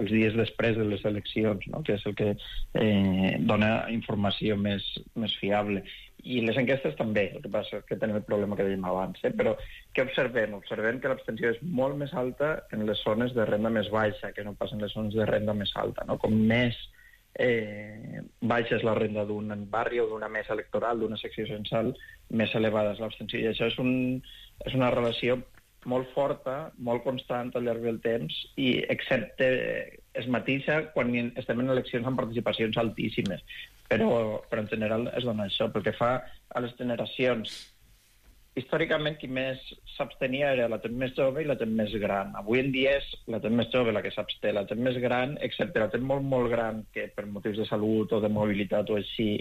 els dies després de les eleccions, no? Que és el que dona informació més fiable. I les enquestes també, el que passa és que tenim el problema que dèiem abans, però què observem? Observem que l'abstenció és molt més alta en les zones de renda més baixa que no pas en les zones de renda més alta, no? Com més baixa és la renda d'un barri o d'una mesa electoral, d'una secció censal, més elevada és l'abstenció. I això és una relació molt forta, molt constant al llarg del temps, i excepte es matisa quan estem en eleccions amb participacions altíssimes. Però en general es dona això. Pel que fa a les generacions, històricament qui més s'abstenia era la gent més jove i la gent més gran. Avui en dia és la gent més jove la que s'absté. La gent més gran, excepte la gent molt, molt gran, que per motius de salut o de mobilitat o així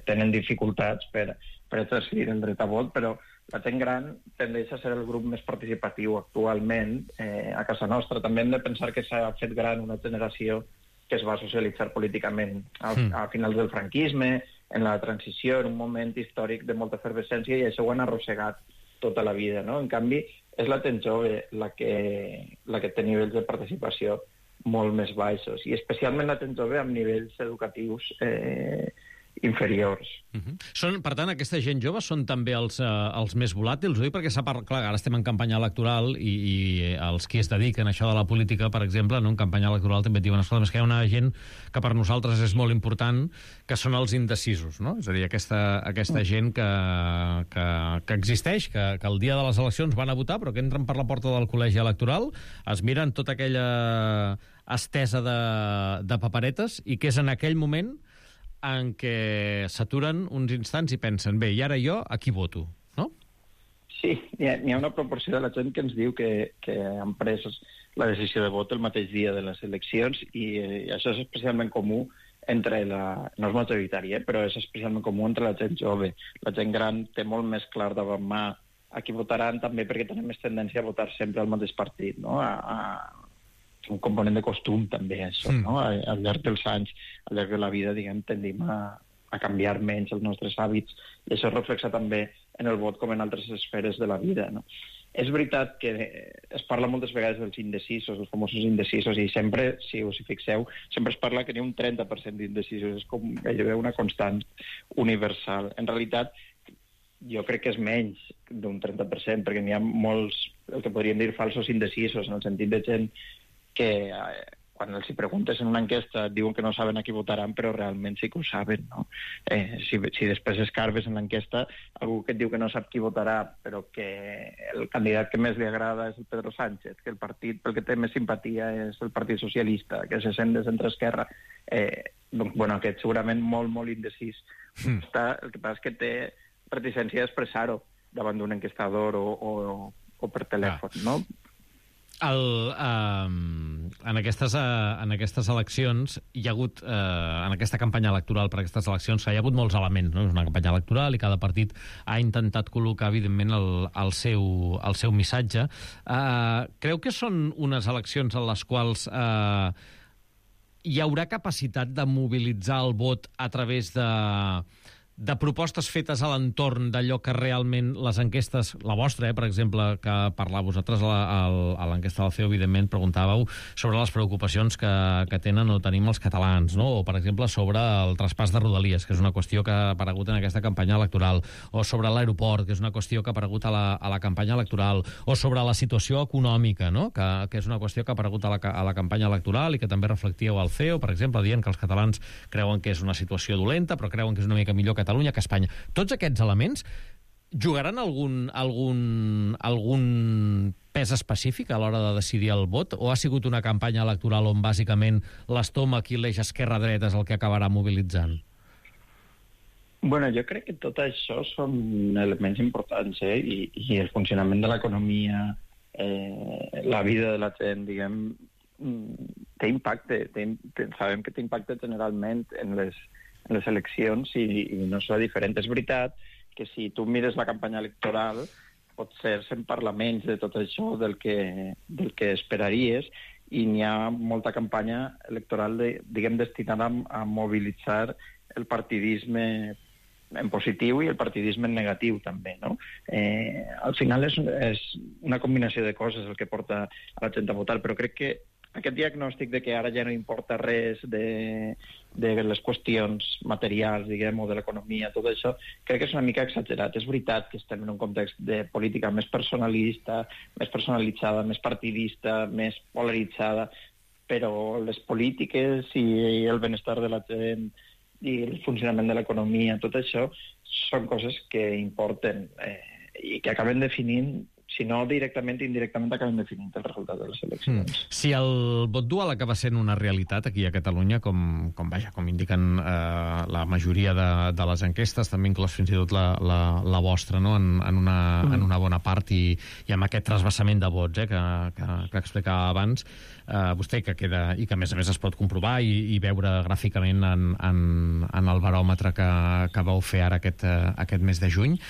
tenen dificultats per exercir el dret a vot, però la gent gran tendeix a ser el grup més participatiu actualment a casa nostra. També hem de pensar que s'ha fet gran una generació que es va socialitzar políticament a finals del franquisme, en la transició, en un moment històric de molta efervescència, i això ho han arrossegat tota la vida, no? En canvi, és la gent jove la que té nivells de participació molt més baixos, i especialment la gent jove amb nivells educatius inferiors. Són, per tant, aquesta gent jove són també els més volàtils, oi? Perquè clar, ara estem en campanya electoral i els qui es dediquen a això de la política, per exemple, en campanya electoral també et diuen, escolta, és que hi ha una gent que per nosaltres és molt important, que són els indecisos, no? És a dir, aquesta gent que existeix, que el dia de les eleccions van a votar, però que entren per la porta del col·legi electoral, es miren tota aquella estesa de paperetes, i que és en aquell moment en què s'aturen uns instants i pensen, bé, i ara jo a qui voto, no? Sí, n'hi ha una proporció de la gent que ens diu que han pres la decisió de vot el mateix dia de les eleccions, i això és especialment comú entre no és majoritari, però és especialment comú entre la gent jove. La gent gran té molt més clar davant mà a qui votaran, també perquè tenen més tendència a votar sempre al mateix partit, no? Un component de costum també, això, no? Al llarg dels anys, al llarg de la vida, diguem, tendim a canviar menys els nostres hàbits, i això es reflexa també en el vot com en altres esferes de la vida, no? És veritat que es parla moltes vegades dels indecisos, els famosos indecisos, i sempre, si us hi fixeu, sempre es parla que n'hi ha un 30% d'indecisos, és com gairebé una constant universal. En realitat, jo crec que és menys d'un 30%, perquè n'hi ha molts, el que podríem dir, falsos indecisos, en el sentit de gent que quan els hi preguntes en una enquesta diuen que no saben a qui votaran, però realment sí que ho saben, no? Si després escarbes en l'enquesta algú que et diu que no sap qui votarà, però que el candidat que més li agrada és el Pedro Sánchez, que el partit pel que té més simpatia és el Partit Socialista, que se sent de centre-esquerra, doncs, bueno, aquest segurament molt, molt indecís. El que passa és que té reticència d'expressar-ho davant d'un enquestador o per telèfon, no? En aquestes eleccions hi ha hagut, en aquesta campanya electoral per aquestes eleccions, hi ha hagut molts elements, no? És una campanya electoral i cada partit ha intentat col·locar, evidentment, el seu missatge. Creu que són unes eleccions en les quals hi haurà capacitat de mobilitzar el vot a través de propostes fetes a l'entorn d'allò que realment les enquestes, la vostra, per exemple, que parlàveu vosaltres a l'enquesta del CEO, evidentment, preguntàveu sobre les preocupacions que tenen o tenim els catalans, no? O, per exemple, sobre el traspàs de Rodalies, que és una qüestió que ha aparegut en aquesta campanya electoral, o sobre l'aeroport, que és una qüestió que ha aparegut a la campanya electoral, o sobre la situació econòmica, no? Que és una qüestió que ha aparegut a la campanya electoral i que també reflectíeu al CEO, per exemple, dient que els catalans creuen que és una situació dolenta, però creuen que és una mica millor Catalunya que Espanya. Tots aquests elements jugaran algun pes específic a l'hora de decidir el vot, o ha sigut una campanya electoral on bàsicament l'estómac i l'eix esquerra-dreta és el que acabarà mobilitzant? Bueno, jo crec que tot això són elements importants, i el funcionament de l'economia, la vida de la gent, diguem, té impacte. Sabem que té impacte generalment en les eleccions, i no serà diferent. És veritat que si tu mires la campanya electoral potser se'n parla menys de tot això del que esperaries, i n'hi ha molta campanya electoral diguem destinada a mobilitzar el partidisme en positiu i el partidisme en negatiu també, no? Al final és una combinació de coses el que porta a la gent a votar, però crec que aquest diagnòstic de que ara ja no importa res de les qüestions materials, diguem, o de l'economia, tot això, crec que és una mica exagerat. És veritat que estem en un context de política més personalista, més personalitzada, més partidista, més polaritzada, però les polítiques i el benestar de la gent i el funcionament de l'economia, tot això són coses que importen i que acaben definint, si no directament, indirectament acaben definint el resultat de les eleccions. Si el vot dual acaba sent una realitat aquí a Catalunya, com indiquen la majoria de les enquestes, també inclòs fins i tot la vostra, no? en una bona part, i amb aquest trasbassament de vots que explicava abans, vostè, que queda, i que a més es pot comprovar i veure gràficament en el baròmetre que vau fer ara aquest mes de juny.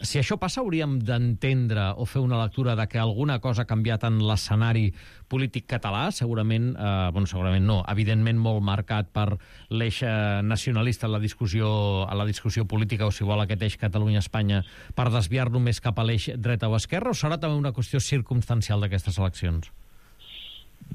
Si això passa, hauríem d'entendre o fer una lectura de que alguna cosa ha canviat en l'escenari polític català, segurament no, evidentment molt marcat per l'eix nacionalista en la discussió política, o si vol aquest eix Catalunya-Espanya, per desviar-lo més cap a l'eix dreta o esquerra, o serà també una qüestió circumstancial d'aquestes eleccions?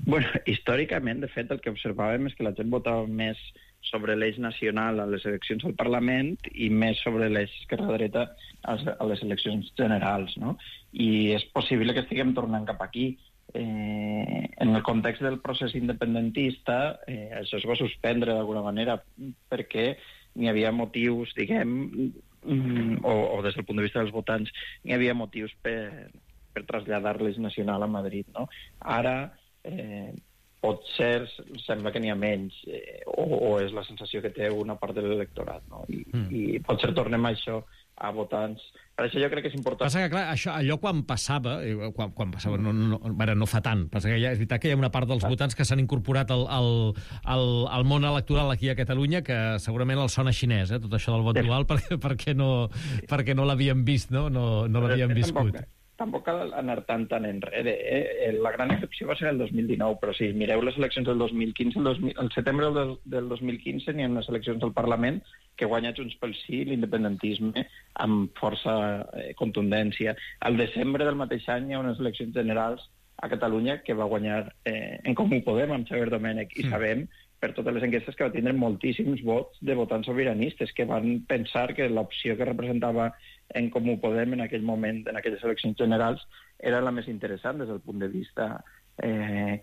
Bueno, històricament, de fet, el que observàvem és que la gent votava més sobre l'eix nacional a les eleccions al Parlament i més sobre l'eix esquerra-dreta a les eleccions generals, no? I és possible que estiguem tornant cap aquí. En el context del procés independentista, això es va suspendre d'alguna manera perquè n'hi havia motius, diguem, o des del punt de vista dels votants, n'hi havia motius per traslladar l'eix nacional a Madrid, no? Ara, potser sembla que n'hi ha menys, o és la sensació que té una part de l'electorat, no? I potser tornem a això, a votants. Per això jo crec que és important. Passa que, clar, allò quan passava no fa tant, passa que és veritat que hi ha una part dels votants que s'han incorporat al món electoral aquí a Catalunya, que segurament els sona xinès, tot això del vot dual, perquè no l'havien vist, no l'havien viscut. Tampoc cal anar tan enrere. La gran excepció va ser el 2019, però si mireu les eleccions del 2015, el setembre del 2015 n'hi ha unes eleccions al Parlament que guanya Junts pel Sí, l'independentisme, amb força contundència. Al desembre del mateix any hi ha unes eleccions generals a Catalunya que va guanyar En Comú Podem, amb Xavier Domènech, i sabem per totes les enquestes que va tindre moltíssims vots de votants sobiranistes que van pensar que l'opció que representava En Comú Podem en aquell moment, en aquelles eleccions generals, era la més interessant des del punt de vista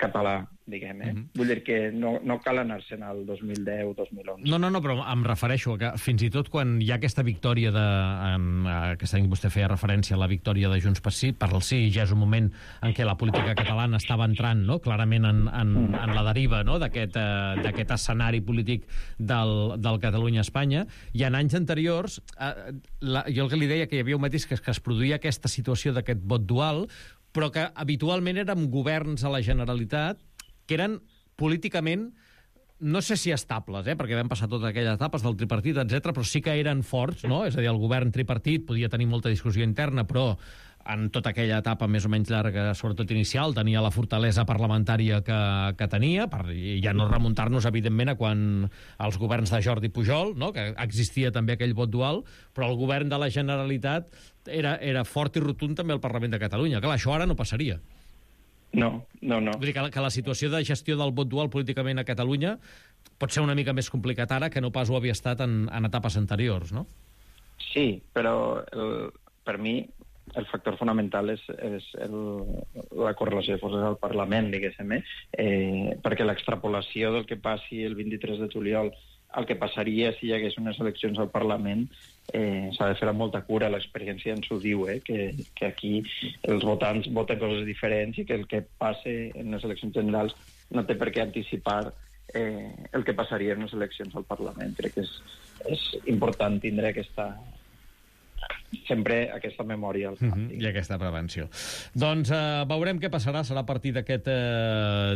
català, diguem. Vull dir que no cal anar-se'n al 2010-2011. No, però em refereixo a que fins i tot quan hi ha aquesta victòria aquesta any vostè feia referència a la victòria de Junts per el Sí, ja és un moment en què la política catalana estava entrant, no?, clarament en la deriva, no?, d'aquest escenari polític del Catalunya-Espanya, i en anys anteriors jo el que li deia que hi havia un matís que es produïa aquesta situació d'aquest vot dual, però que habitualment eren governs a la Generalitat que eren políticament, no sé si estables, perquè vam passar totes aquelles etapes del tripartit, etc, però sí que eren forts, no? És a dir, el govern tripartit podia tenir molta discussió interna, però en tota aquella etapa més o menys llarga, sobretot inicial, tenia la fortalesa parlamentària que tenia, per ja no remuntar-nos, evidentment, a quan els governs de Jordi Pujol, no?, que existia també aquell vot dual, però el govern de la Generalitat era fort i rotund també al Parlament de Catalunya. Clar, això ara no passaria. No. Vull dir que la situació de gestió del vot dual políticament a Catalunya pot ser una mica més complicat ara que no pas ho havia estat en etapes anteriors, no? Sí, però per mi el factor fonamental és la correlació de forces al Parlament, diguéssim, perquè l'extrapolació del que passi el 23 de juliol el que passaria si hi hagués unes eleccions al Parlament s'ha de fer amb molta cura. L'experiència ens ho diu, que aquí els votants voten coses diferents i que el que passe en les eleccions generals no té per què anticipar el que passaria en les eleccions al Parlament. Crec que és important tindre sempre aquesta memòria al cap. I aquesta prevenció. Doncs veurem què passarà, serà a partir d'aquest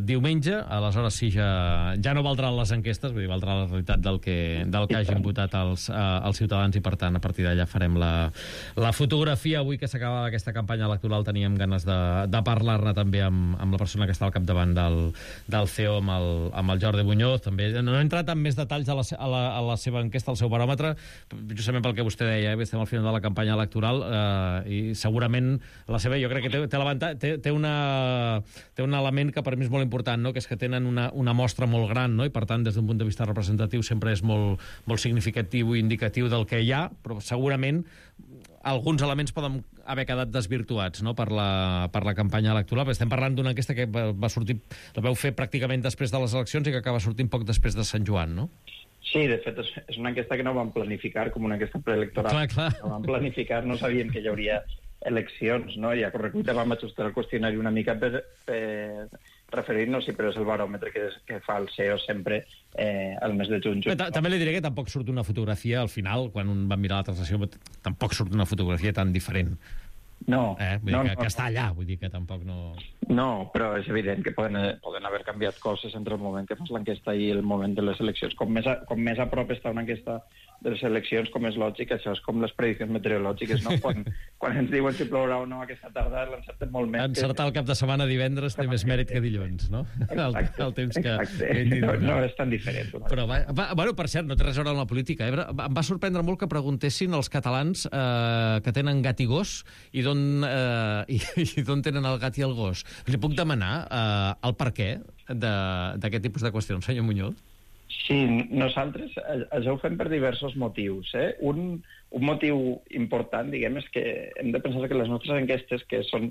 diumenge, aleshores sí, ja no valdran les enquestes, vull dir, valdrà la realitat del que hagin votat els ciutadans, i per tant a partir d'allà farem la fotografia. Avui que s'acabava aquesta campanya electoral teníem ganes de parlar-ne també amb la persona que està al capdavant del CEO, amb el Jordi Muñoz. També no he entrat en més detalls a la seva enquesta, al seu baròmetre, justament pel que vostè deia, estem al final de la campanya campanya electoral i segurament la seva, jo crec que té un element que per mi és molt important, no? Que és que tenen una mostra molt gran, no? I per tant des d'un punt de vista representatiu sempre és molt, molt significatiu i indicatiu del que hi ha, però segurament alguns elements poden haver quedat desvirtuats, no? per la campanya electoral, perquè estem parlant d'una enquesta que va sortir, la vau fer pràcticament després de les eleccions i que acaba sortint poc després de Sant Joan, no? Sí, de fet, és una enquesta que no vam planificar com una enquesta preelectoral. Clar. No vam planificar, no sabíem que hi hauria eleccions, no? I a correcuita vam ajustar el qüestionari una mica per referir-nos, sí, però és el baròmetre que fa el CEO sempre al mes de juny. També li diré que tampoc surt una fotografia al final, quan un va mirar la translació, tampoc surt una fotografia tan diferent. No. Vull dir que està allà, vull dir que tampoc no... No, però és evident que poden haver canviat coses entre el moment que fas l'enquesta i el moment de les eleccions. Com més a prop està una enquesta de les eleccions, com és lògic, això és com les prediccions meteorològiques, no? Quan ens diuen si plourà o no aquesta tarda, l'encertem molt més. Encertar el cap de setmana divendres té més mèrit que dilluns, no? Exacte. El temps que... No és tan diferent. Però, bueno, per cert, no té res a veure amb la política. Em va sorprendre molt que preguntessin als catalans que tenen gat i gos i d'on tenen el gat i el gos. Li puc demanar el per què d'aquest tipus de qüestions, senyor Muñoz? Sí, nosaltres això ho fem per diversos motius. Un motiu important, diguem, és que hem de pensar que les nostres enquestes, que són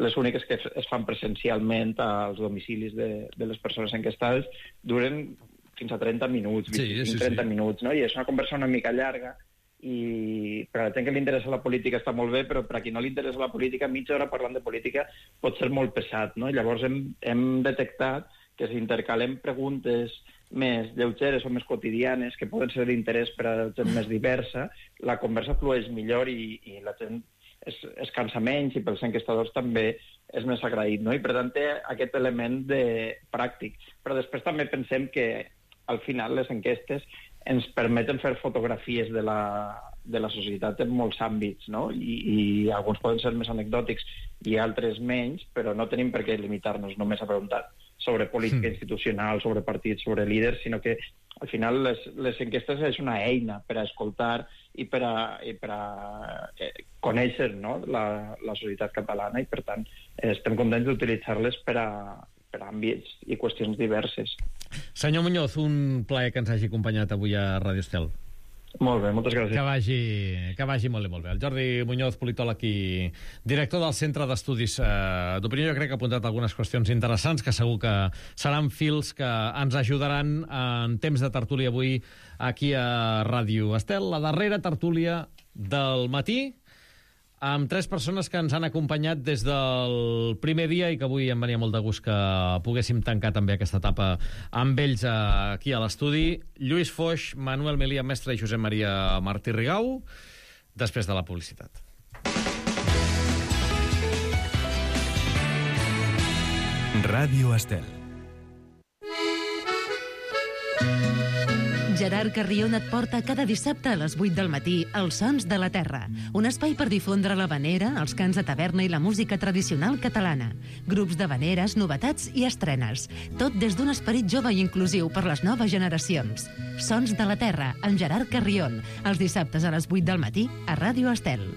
les úniques que es fan presencialment als domicilis de les persones enquestades, duren fins a 30 minuts, 30 minuts, no? I és una conversa una mica llarga, i per a la gent que li interessa la política està molt bé, però per a qui no li interessa la política, mitja hora parlant de política pot ser molt pesat, no? Llavors hem detectat que si intercalem preguntes més lleugeres o més quotidianes, que poden ser d'interès per a gent més diversa, la conversa flueix millor i la gent es cansa menys i pels enquestadors també és més agraït, no? I per tant té aquest element pràctic. Però després també pensem que al final les enquestes ens permeten fer fotografies de la societat en molts àmbits, no? I alguns poden ser més anecdòtics i altres menys, però no tenim per què limitar-nos només a preguntar sobre política institucional, sobre partits, sobre líders, sinó que al final les enquestes és una eina per a escoltar i per a conèixer, no? la societat catalana, i per tant estem contents d'utilitzar-les per a àmbits i qüestions diverses. Senyor Muñoz, un plaer que ens hagi acompanyat avui a Radio Estel. Molt bé, moltes gràcies. Que vagi molt bé. El Jordi Muñoz, politòleg i director del Centre d'Estudis d'Opinió, jo crec que ha apuntat algunes qüestions interessants que segur que seran fils que ens ajudaran en temps de tertúlia avui aquí a Ràdio Estel, la darrera tertúlia del matí, amb 3 persones que ens han acompanyat des del primer dia i que avui em venia molt de gust que poguéssim tancar també aquesta etapa amb ells aquí a l'estudi. Lluís Foix, Manuel Melia Mestre i Josep Maria Martí Rigau, després de la publicitat. Ràdio Estel. Gerard Carrion et porta cada dissabte a les 8 del matí Els Sons de la Terra, un espai per difondre l'havanera, els cants de taverna i la música tradicional catalana. Grups d'havaneres, novetats i estrenes. Tot des d'un esperit jove i inclusiu per les noves generacions. Sons de la Terra, amb Gerard Carrion, els dissabtes a les 8 del matí a Ràdio Estel.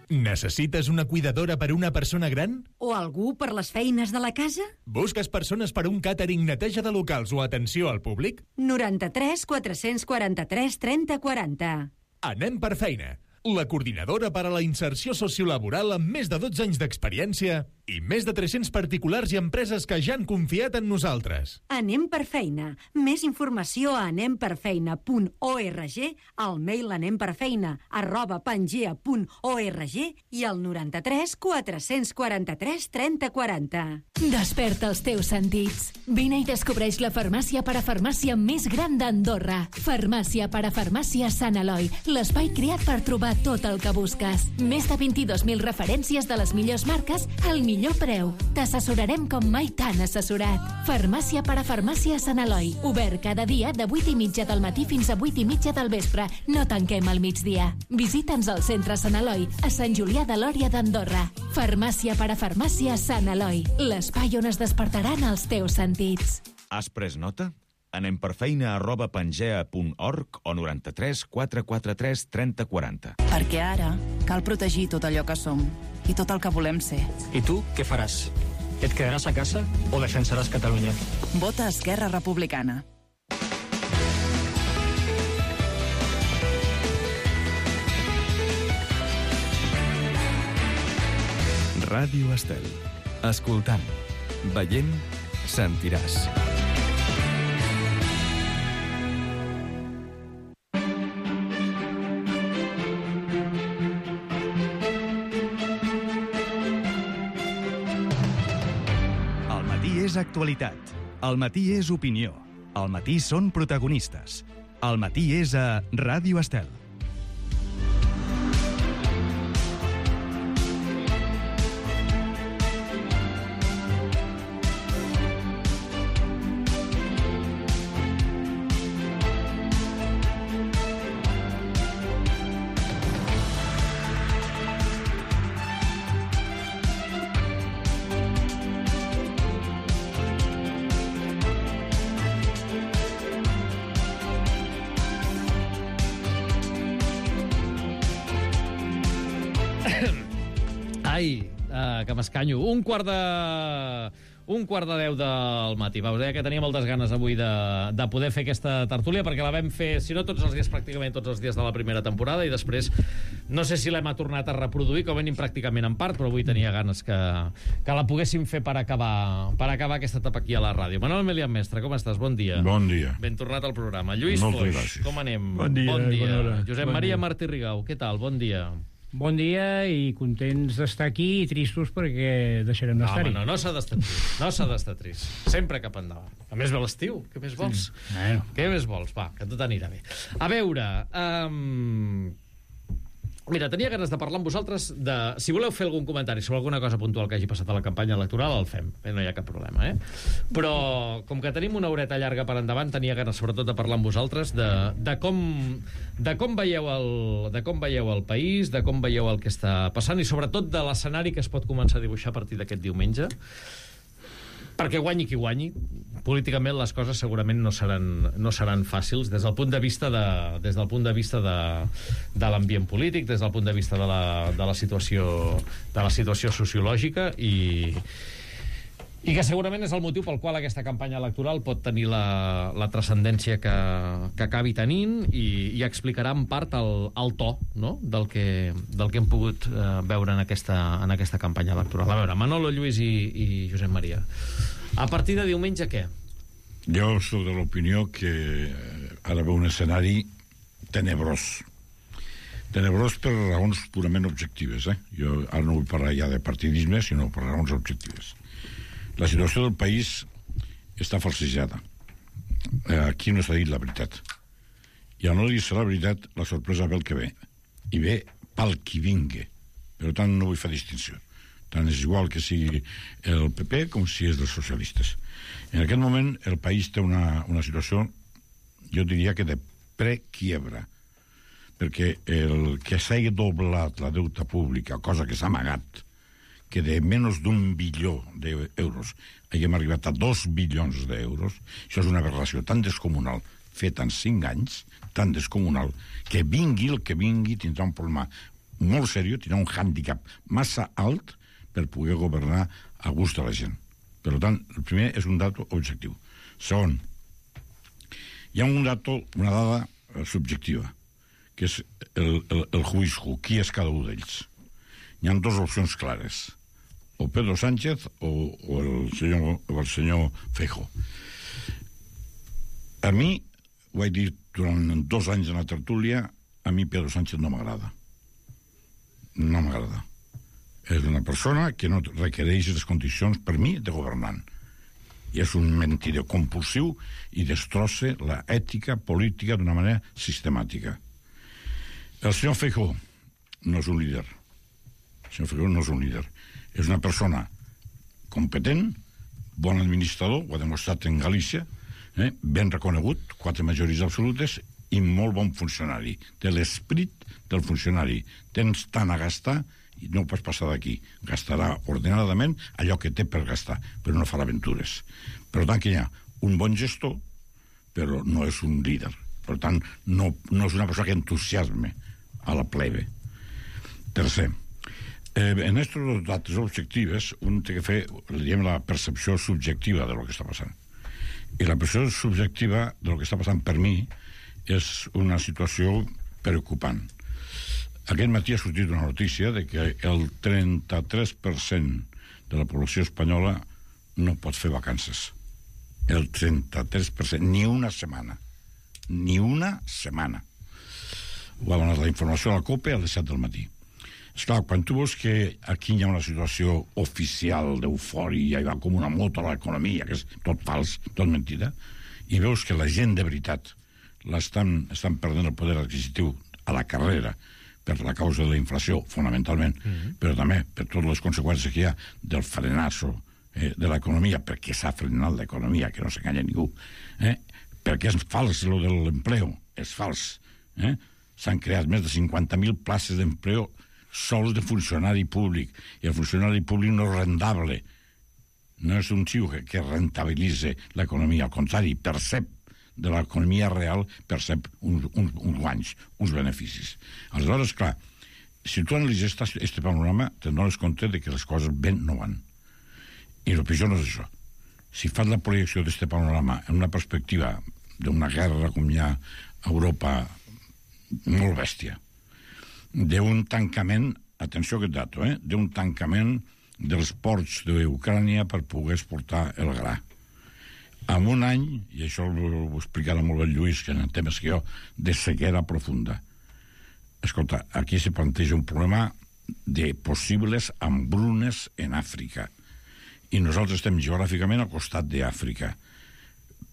Necessites una cuidadora per una persona gran? O algú per les feines de la casa? Busques persones per un càtering, neteja de locals o atenció al públic? 93 443 30 40. Anem per feina. La coordinadora per a la inserció sociolaboral amb més de 12 anys d'experiència i més de 300 particulars i empreses que ja han confiat en nosaltres. Anem per feina. Més informació a anemperfeina.org, al mail anemperfeina@pangea.org i al 93 443 30 40. Desperta els teus sentits. Vine i descobreix la farmàcia parafarmàcia més gran d'Andorra. Farmàcia parafarmàcia Sant Eloi, l'espai creat per trobar tot el que busques. Més de 22.000 referències de les millors marques al millor preu. T'assessorarem com mai t'han assessorat. Farmàcia parafarmàcia Sant Eloi. Obert cada dia de 8:30 del matí fins a 8:30 del vespre. No tanquem al migdia. Visita'ns al centre Sant Eloi, a Sant Julià de Lòria d'Andorra. Farmàcia parafarmàcia Sant Eloi, l'espai on es despertaran els teus sentits. Has pres nota? anemperfeina@pangea.org o 93 443 3040. Perquè ara cal protegir tot allò que som i tot el que volem ser. I tu què faràs? Et quedaràs a casa o defensaràs Catalunya? Vota Esquerra Republicana. Ràdio Estel. Escoltant, veient, sentiràs. Al matí és actualitat. Al matí és opinió. Al matí són protagonistes. Al matí és a Ràdio Estel. Ai, que m'escanyo. Un quart de 10 del matí. Vau dir que tenia moltes ganes avui de poder fer aquesta tertúlia, perquè la vam fer, si no tots els dies, pràcticament tots els dies de la primera temporada, i després no sé si l'hem tornat a reproduir, com venim pràcticament en part, però avui tenia ganes que la poguéssim fer per acabar aquesta etapa aquí a la ràdio. Manuel Melián Mestre, com estàs? Bon dia. Bon dia. Ben tornat al programa. Lluís Foix, com anem? Bon dia. Josep Maria Martí Rigau, què tal? Bon dia. Bon dia i contents d'estar aquí i tristos perquè deixarem d'estar-hi. No s'ha d'estar trist. No s'ha d'estar trist. Sempre cap endavant. A més, ve l'estiu. Què més vols? Bueno. Què més vols? Va, que tot anirà bé. A veure... Mira, tenia ganes de parlar amb vosaltres de... Si voleu fer algun comentari sobre alguna cosa puntual que hagi passat a la campanya electoral, el fem. No hi ha cap problema, Però, com que tenim una horeta llarga per endavant, tenia ganes sobretot de parlar amb vosaltres de com veieu el país, de com veieu el que està passant, i sobretot de l'escenari que es pot començar a dibuixar a partir d'aquest diumenge. Perquè guanyi qui guanyi, políticament les coses segurament no seran fàcils des del punt de vista de l'ambient polític, des del punt de vista de la situació sociològica, i que segurament és el motiu pel qual aquesta campanya electoral pot tenir la transcendència que acabi tenint, i explicarà en part el to, no?, del que hem pogut veure en aquesta campanya electoral. A veure, Manolo, Lluís i Josep Maria, a partir de diumenge què? Jo soc de l'opinió que ara veu un escenari tenebrós per raons purament objectives. Jo ara no vull parlar ja de partidisme, sinó per raons objectives. La situació del país està falsejada. Aquí no s'ha dit la veritat. I al no dir-se la veritat, la sorpresa ve el que ve. I ve pel qui vingui. Per tant, no vull fer distinció. Tant és igual que sigui el PP com si és dels socialistes. En aquest moment, el país té una situació, jo diria que de prequiebra. Perquè el que s'hagi doblat la deuta pública, cosa que s'ha amagat, que de menys d'1 bilió d'euros haguem arribat a 2 bilions d'euros, això és una aberració tan descomunal, feta en 5 anys, tan descomunal, que vingui el que vingui tindrà un problema molt seriós, tindrà un hàndicap massa alt per poder governar a gust de la gent. Per tant, el primer és un dato objectiu. Segon, hi ha una dada subjectiva, que és el juicio, qui és cada un d'ells. Hi ha dues opcions clares, o Pedro Sánchez o el senyor Feijóo. A mi, ho vaig dir durant 2 anys en la tertúlia, a mi Pedro Sánchez no m'agrada. No m'agrada. És una persona que no requereix les condicions, per mi, de governant. I és un mentider compulsiu i destrossa l'ètica política d'una manera sistemàtica. El senyor Feijóo no és un líder. El senyor Feijóo no és un líder. És una persona competent, bon administrador, ho ha demostrat en Galícia, ben reconegut, 4 majories absolutes, i molt bon funcionari. Té l'esperit del funcionari. Tens tant a gastar i no ho pots passar d'aquí. Gastarà ordenadament allò que té per gastar, però no farà aventures. Per tant, que hi ha un bon gestor, però no és un líder. Per tant, no és una persona que entusiasme a la plebe. Tercer, en aquests datos objectives un té que fer, diguem, la percepció subjectiva de lo que està passant. I la percepció subjectiva de lo que està passant per mi és una situació preocupant. Aquest matí ha sortit una notícia de que el 33% de la població espanyola no pot fer vacances. El 33%, ni una setmana. Ni una setmana. Ho ha donat la informació a la COPE a les 7 del matí. Esclar, quan tu veus que aquí hi ha una situació oficial d'eufòria, hi va com una moto a l'economia, que és tot fals, tot mentida, i veus que la gent de veritat estan perdent el poder adquisitiu a la carrera per la causa de la inflació, fonamentalment, però també per totes les conseqüències que hi ha del frenazo de l'economia, perquè s'ha frenat l'economia, que no s'enganya ningú, perquè és fals lo de l'empleo, és fals. S'han creat més de 50.000 places d'empleo sols de funcionari públic, i el funcionari públic no és rendable, no és un xiu que rentabilitza l'economia, al contrari, percep de l'economia real, percep uns guanys, uns beneficis. Aleshores, clar, si tu analitzes aquest panorama, te dones compte de que les coses ben no van. I el pitjor no és això. Si fas la projecció d'aquest panorama en una perspectiva d'una guerra com hi ha a Europa molt bèstia, d'un tancament, atenció a aquest dato, d'un tancament dels ports d'Ucrània per poder exportar el gra. En un any, i això ho explicarà molt bé Lluís, que en temes que jo, de sequera profunda. Escolta, aquí se planteja un problema de possibles hambrunes en Àfrica. I nosaltres estem geogràficament al costat d'Àfrica.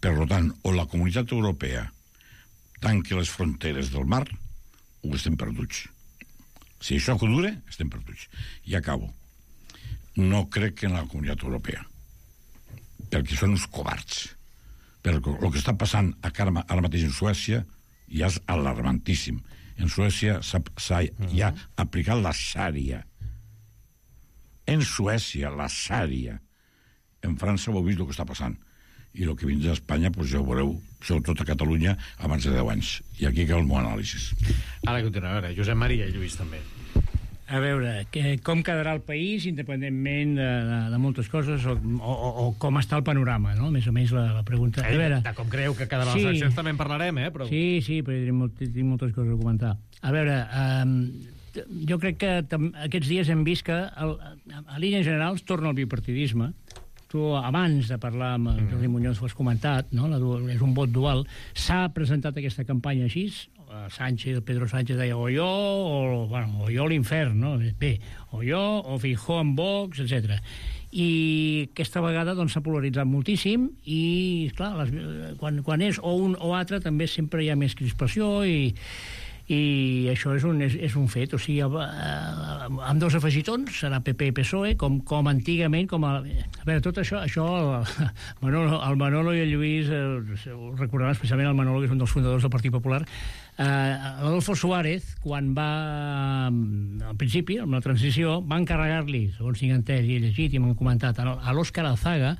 Per tant, o la comunitat europea tanca les fronteres del mar, o estem perduts. Si això dura, estem perduts. I acabo. No crec que en la comunitat europea, perquè són uns covards. Perquè el que està passant ara mateix en Suècia ja és alarmantíssim. En Suècia s'ha ja aplicat la xària. En Suècia, la xària. En França ho heu vist el que està passant. I el que vindrà a Espanya, doncs ja ho veureu, sobretot a Catalunya, abans de 10 anys. I aquí cal el meu anàlisi. Ara continuem. Josep Maria i Lluís també. A veure, com quedarà el país, independentment de moltes coses, o com està el panorama, no? Més o menys la pregunta. A veure, de com creu que quedarà les eleccions també en parlarem, però... Sí, però tinc moltes coses a comentar. A veure, jo crec que aquests dies hem vist que a línies generals torna el bipartidisme. Tu, abans de parlar amb Jordi Muñoz, ho has comentat, no? És un vot dual. S'ha presentat aquesta campanya així. Pedro Sánchez deia o jo o jo l'infern, no? Bé, o jo, o Feijóo amb Vox, etc. I aquesta vegada s'ha polaritzat moltíssim i, clar, quan és o un o altre també sempre hi ha més crispació i això és un fet. O sigui, amb dos afegitons serà PP i PSOE, com antigament, a veure, tot això el Manolo i el Lluís ho recordaran, especialment el Manolo, que és un dels fundadors del Partit Popular. Adolfo Suárez, quan va al principi, amb la transició, va encarregar-li, segons tinc entès i llegit i m'han comentat, a l'Òscar Alzaga,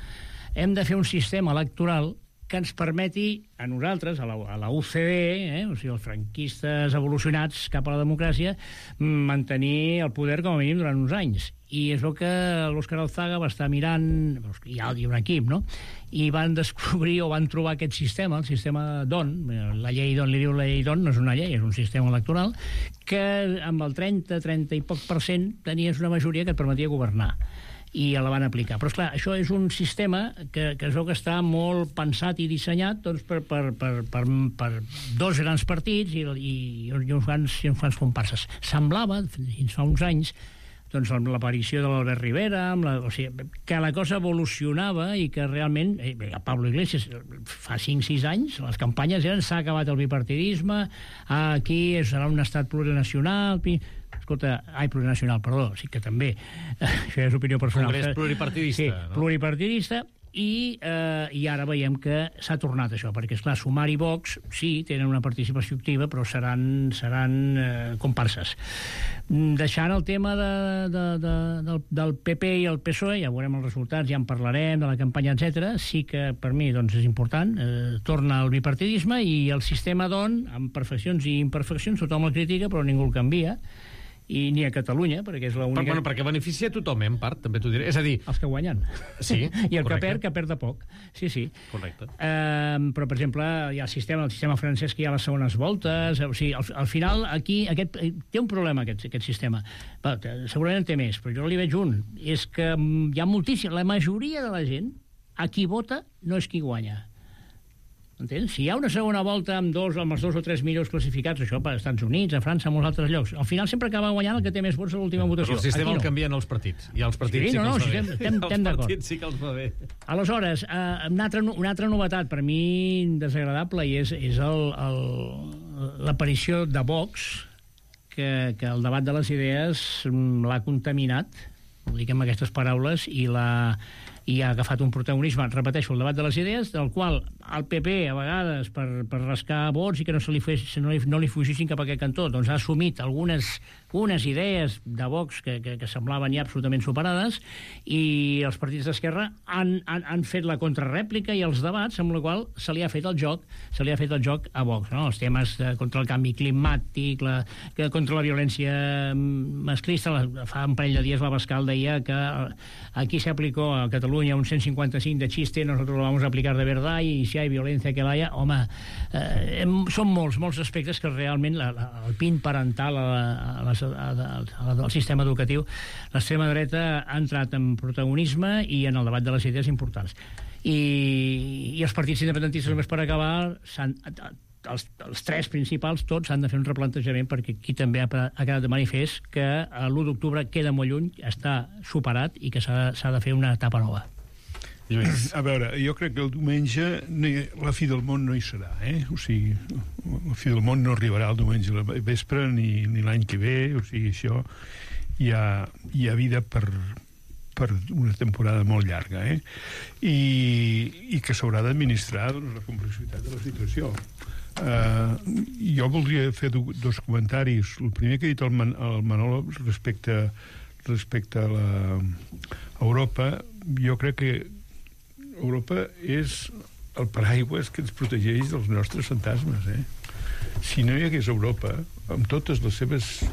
hem de fer un sistema electoral que ens permeti a nosaltres, a la UCD, o sigui, els franquistes evolucionats cap a la democràcia, mantenir el poder com a mínim durant uns anys. I és el que l'Òscar Alzaga va estar mirant, hi ha un equip, no? I van descobrir o van trobar aquest sistema, el sistema DON, la llei DON, li diu la llei DON, no és una llei, és un sistema electoral, que amb el 30 i poc % tenies una majoria que et permetia governar. I la van aplicar. Però, esclar, això és un sistema que es veu que està molt pensat i dissenyat per dos grans partits i uns quants comparses. Semblava, fins fa uns anys, amb l'aparició de l'Albert Rivera, que la cosa evolucionava i que realment, Pablo Iglesias, fa 5-6 anys, les campanyes eren s'ha acabat el bipartidisme, aquí serà un estat plurinacional... plurinacional, perdó, sí que també, això és opinió personal. Congrés pluripartidista. Sí, pluripartidista, i ara veiem que s'ha tornat això, perquè, esclar, Sumar i Vox sí, tenen una participació activa, però seran comparses. Deixant el tema del PP i el PSOE, ja veurem els resultats, ja en parlarem, de la campanya, etc. Sí que per mi doncs, és important, torna el bipartidisme i el sistema amb perfeccions i imperfeccions, tothom el critica però ningú el canvia, i ni a Catalunya, perquè és l'única... Bueno, perquè beneficia tothom, en part, també t'ho diré. És a dir... Els que guanyen. Sí, i el correcte. que perd de poc. Sí. Correcte. Però, per exemple, hi ha el sistema francès que hi ha les segones voltes... O sigui, al final, aquí té un problema, aquest sistema. Segurament en té més, però jo li veig un. És que hi ha moltíssim... La majoria de la gent, a qui vota, no és qui guanya. Entens? Si hi ha una segona volta amb els 2 o 3 millors classificats, això per als Estats Units, a França, a molts altres llocs, al final sempre acaba guanyant el que té més vots a l'última votació. Però el sistema el canvien els partits. I els partits sí que els va bé. Estem d'acord. Els partits sí que els va bé. Aleshores, una altra novetat, per mi desagradable, i és l'aparició de Vox, que el debat de les idees l'ha contaminat, ho dic amb aquestes paraules, i ha agafat un protagonisme, repeteixo, el debat de les idees, del qual el PP, a vegades, per rascar vots i que no li fugissin cap a aquest cantó, doncs ha assumit unes idees de Vox que semblaven ja absolutament superades, i els partits d'esquerra han fet la contrarèplica i els debats, amb la qual se li ha fet el joc a Vox, no? Els temes contra el canvi climàtic, contra la violència masclista. Fa un parell de dies l'Abascal deia que aquí se aplicó a Catalunya un 155 de chiste, nosotros lo vamos a aplicar de verdad, y si hay violencia que la haya, home, són molts aspectes que realment el pin parental al sistema educatiu, l'extrema dreta ha entrat en protagonisme i en el debat de les idees importants. I els partits independentistes, només per acabar, els tres principals, tots han de fer un replantejament, perquè aquí també ha quedat de manifest que l'1 d'octubre queda molt lluny, està superat i que s'ha de fer una etapa nova. A veure, jo crec que el diumenge la fi del món no hi serà, o sigui, la fi del món no arribarà el diumenge a la vespre ni l'any que ve, o sigui, això hi ha vida per una temporada molt llarga, i que s'haurà d'administrar la complexitat de la situació. Jo voldria fer dos comentaris. El primer que ha dit el Manolo respecte a Europa, jo crec que Europa és el paraigües que ens protegeix dels nostres fantasmes. Si no hi hagués Europa, amb totes les seves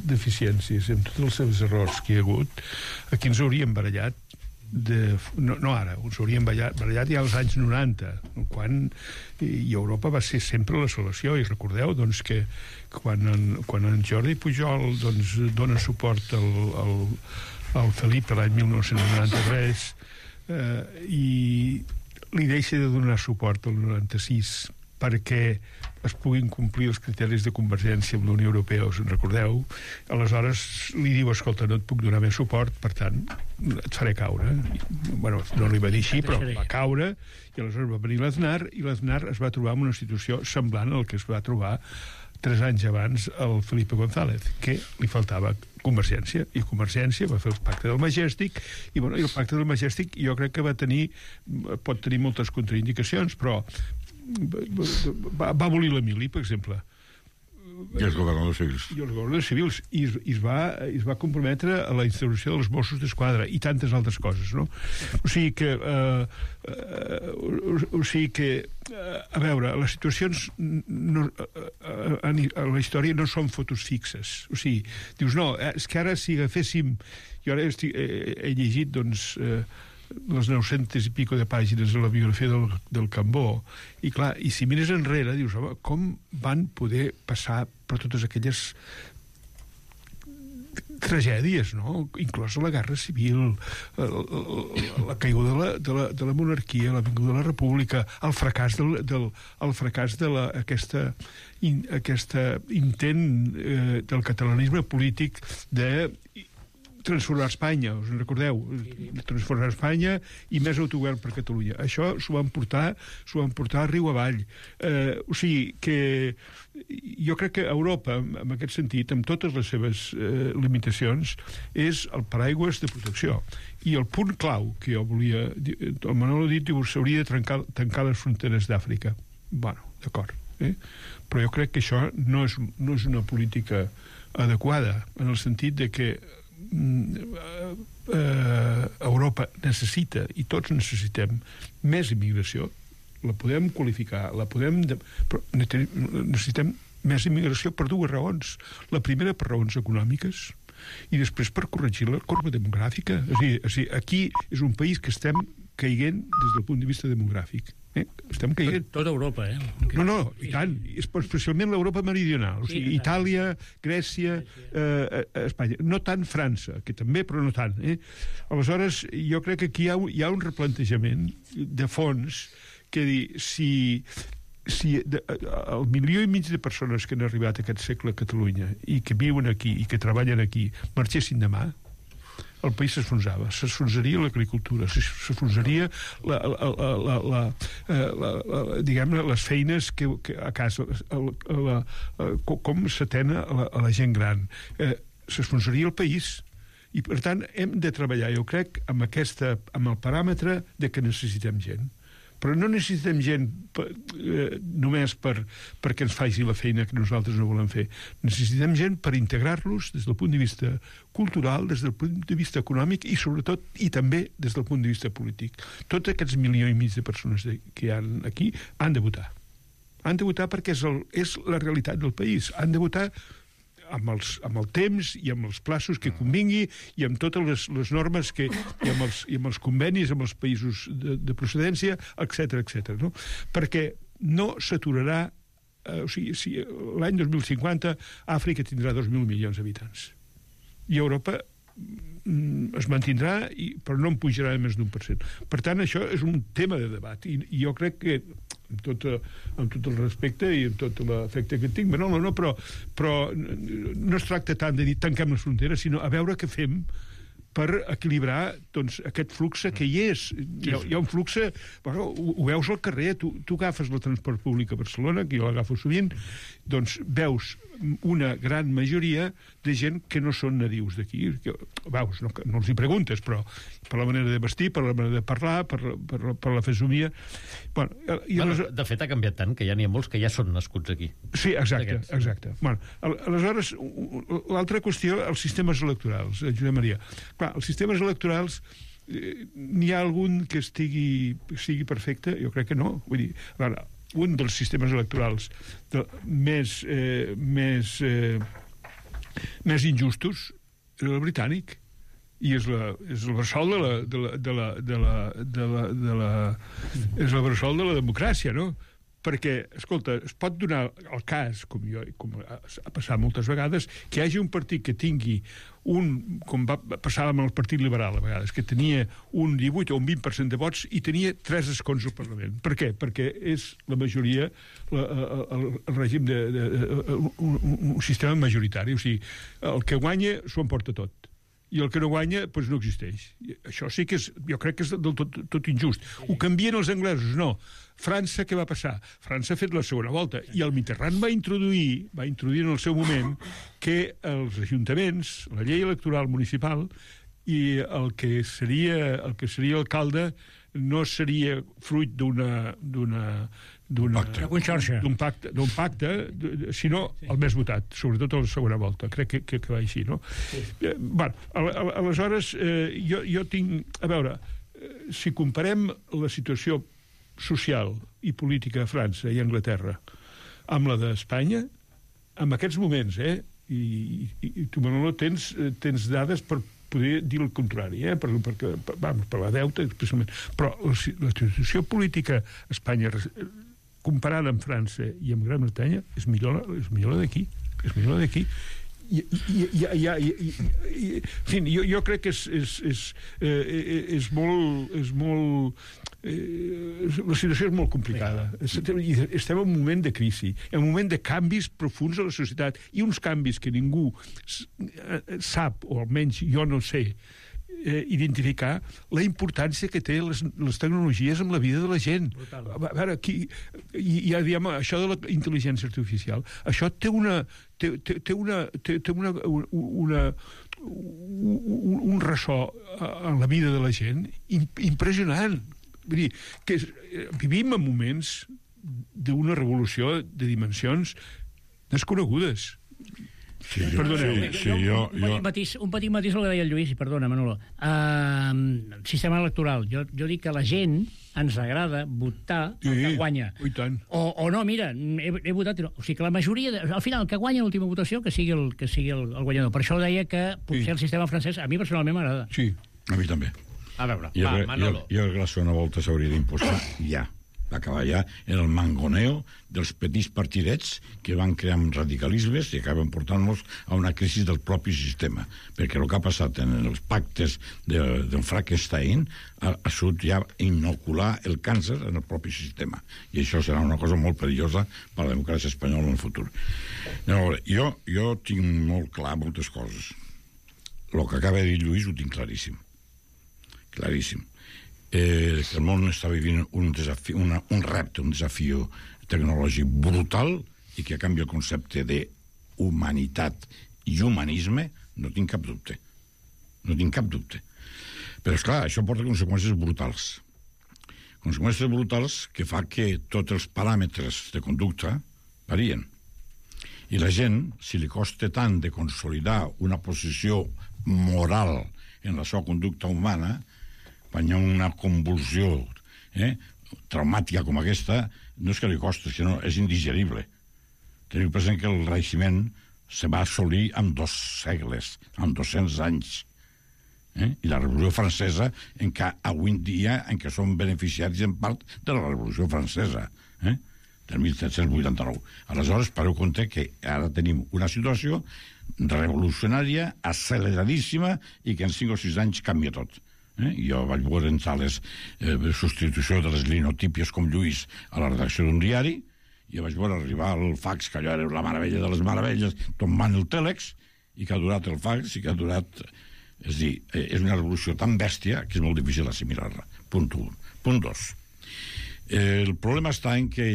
deficiències, amb tots els seus errors que hi ha hagut, aquí ens hauríem barallat no ara, ens hauríem barallat ja als anys 90, quan Europa va ser sempre la solució. I recordeu doncs, que quan en Jordi Pujol dona suport al Felip l'any 1993 i li deixa de donar suport al 96 perquè es puguin complir els criteris de convergència amb la Unió Europea, us en recordeu? Aleshores li diu, escolta, no et puc donar més suport, per tant, et faré caure. Bueno, no li va dir així, però va caure, i aleshores va venir l'Aznar, i l'Aznar es va trobar en una situació semblant al que es va trobar 3 anys abans el Felipe González, que li faltava Convergència, i Convergència va fer el pacte del Majestic, i el pacte del Majestic jo crec que pot tenir moltes contraindicacions, però va abolir la mili, per exemple. I els governadors civils. I els governadors civils. I es va comprometre a la instauració dels Mossos d'Esquadra i tantes altres coses, no? O sigui que a veure, les situacions a la història no són fotos fixes. O sigui, dius, no, és que ara si agaféssim... Jo ara he llegit, doncs, les 900 i pico de pàgines de la biografia del Cambó, i clar, i si mires enrere dius, home, com van poder passar per totes aquelles tragèdies, no? Inclosa la Guerra Civil, la caiguda de la monarquia, la vinguda de la república, el fracàs aquest intent del catalanisme polític de transformar Espanya, us en recordeu? Transformar Espanya i més autogovern per Catalunya. Això s'ho van portar riu avall. O sigui que jo crec que Europa, en aquest sentit, amb totes les seves limitacions, és el paraigües de protecció. I el punt clau que jo volia... El Manolo ha dit que s'hauria de tancar les fronteres d'Àfrica. Bueno, d'acord. Però jo crec que això no és una política adequada, en el sentit de que Europa necessita, i tots necessitem, més immigració. La podem qualificar, però necessitem més immigració per dues raons. La primera, per raons econòmiques, i després per corregir la corba demogràfica. És a dir, aquí és un país que estem caient des del punt de vista demogràfic. Estem caient. Tota Europa, No, i tant. Especialment l'Europa meridional. O sigui, Itàlia, Grècia, Espanya. No tant França, que també, però no tant. Aleshores, jo crec que aquí hi ha un replantejament de fons que dir, si el 1,5 milió de persones que han arribat aquest segle a Catalunya i que viuen aquí i que treballen aquí marxessin demà, el país s'esfonsava. S'esfonsaria l'agricultura, s'esfonsaria diguem-ne, les feines que a casa, com s'atén a la gent gran. S'esfonsaria el país. I, per tant, hem de treballar, jo crec, amb el paràmetre de que necessitem gent. Però no necessitem gent només perquè ens faci la feina que nosaltres no volem fer. Necessitem gent per integrar-los des del punt de vista cultural, des del punt de vista econòmic i, sobretot, i també des del punt de vista polític. Tots aquests 1,5 milió de persones que hi ha aquí han de votar. Han de votar perquè és la realitat del país. Han de votar amb el temps i amb els plaços que convingui i amb totes les normes i amb els convenis amb els països de procedència, etc. No? Perquè no s'aturarà, o sigui, si l'any 2050 Àfrica tindrà 2.000 milions d'habitants i Europa es mantindrà, però no en pujarà més d'1%. Per tant, això és un tema de debat i jo crec que amb tot el respecte i amb tot l'afecte que tinc, però no es tracta tant de dir tanquem les fronteres, sinó a veure què fem per equilibrar aquest flux que hi és. Hi ha un flux... Bueno, ho veus al carrer, tu agafes el transport públic a Barcelona, que jo l'agafo sovint, doncs veus una gran majoria de gent que no són nadius d'aquí. Veus, no els hi preguntes, però per la manera de vestir, per la manera de parlar, per la fesomia... De fet, ha canviat tant que ja n'hi ha molts que ja són nascuts aquí. Sí, exacte. Aleshores, l'altra qüestió, els sistemes electorals, Josep Maria. Clar, els sistemes electorals, n'hi ha algun que sigui perfecte? Jo crec que no. Vull dir, un dels sistemes electorals més injustos és el britànic i és el bressol és el bressol de la democràcia, no? Perquè, escolta, es pot donar el cas, com ha passat moltes vegades, que hi hagi un partit que tingui com va passar amb el Partit Liberal a vegades, que tenia un 18 o un 20% de vots i tenia 3 escons al Parlament. Per què? Perquè és la majoria, el règim un sistema majoritari. O sigui, el que guanya s'ho emporta tot. I el que no guanya, doncs no existeix. Això sí que jo crec que és del tot injust. Ho canvien els anglesos, no. França, què va passar? França ha fet la segona volta i el Mitterrand va introduir en el seu moment que els ajuntaments, la llei electoral municipal i el que seria alcalde no seria fruit d'un pacte, sinó el més votat, sobretot a la segona volta. Crec que va així, no? Aleshores, jo tinc... A veure, si comparem la situació social i política a França i a Anglaterra amb la d'Espanya, en aquests moments, i tu, Manolo, tens dades per poder dir el contrari, per la deuta, especialment. Però la situació política a Espanya, comparada amb França i amb Gran Bretanya, és millor la d'aquí. És millor la d'aquí. En fi, jo crec que és molt la situació és molt complicada. Estem en un moment de crisi, en un moment de canvis profuns a la societat, i uns canvis que ningú sap, o almenys jo no sé, identificar la importància que té les tecnologies en la vida de la gent. A veure, ja diem, això de la intel·ligència artificial, això té un ressò en la vida de la gent impressionant. Vull dir, que vivim en moments d'una revolució de dimensions desconegudes. Sí, Perdoneu. un petit matís el que deia el Lluís, i perdona, Manolo. Sistema electoral. Jo dic que la gent ens agrada votar el que guanya. I tant. O no, mira, he votat... O sigui que la majoria... Al final, el que guanya l'última votació, que sigui el guanyador. Per això deia que potser el sistema francès a mi personalment m'agrada. Sí, a mi també. A veure, Manolo. Jo crec que la segona volta s'hauria d'imposar ja. Va acabar ja en el mangoneo dels petits partidets que van crear radicalismes i acaben portant-nos a una crisi del propi sistema. Perquè el que ha passat en els pactes del Frankenstein ha sigut ja inocular el càncer en el propi sistema. I això serà una cosa molt perillosa per a la democràcia espanyola en el futur. Jo tinc molt clar moltes coses. El que acaba de dir Lluís ho tinc claríssim. Claríssim. El món està vivint un repte, un desafiu tecnològic brutal i que canvia el concepte d'humanitat i humanisme, no tinc cap dubte. No tinc cap dubte. Però, esclar, això porta conseqüències brutals. Conseqüències brutals que fa que tots els paràmetres de conducta varien. I la gent, si li costa tant de consolidar una posició moral en la seva conducta humana, quan hi ha una convulsió traumàtica com aquesta, no és que li costa, és que no, és indigerible. Teniu present que el Renaixement se va assolir en 2 segles, en 200 anys. I la Revolució Francesa, avui en dia, en què som beneficiaris en part de la Revolució Francesa, del 1789. Aleshores, pareu compte que ara tenim una situació revolucionària, acceleradíssima, i que en 5 o 6 anys canvia tot. Jo vaig veure en sales substitució de les linotípies com Lluís a la redacció d'un diari, i vaig veure arribar el fax, que allò era la meravella de les meravelles, tombant el tèlex, i que ha durat el fax, i que ha durat... És a dir, és una revolució tan bèstia que és molt difícil assimilar-la. Punt 1. Punt 2. El problema està en que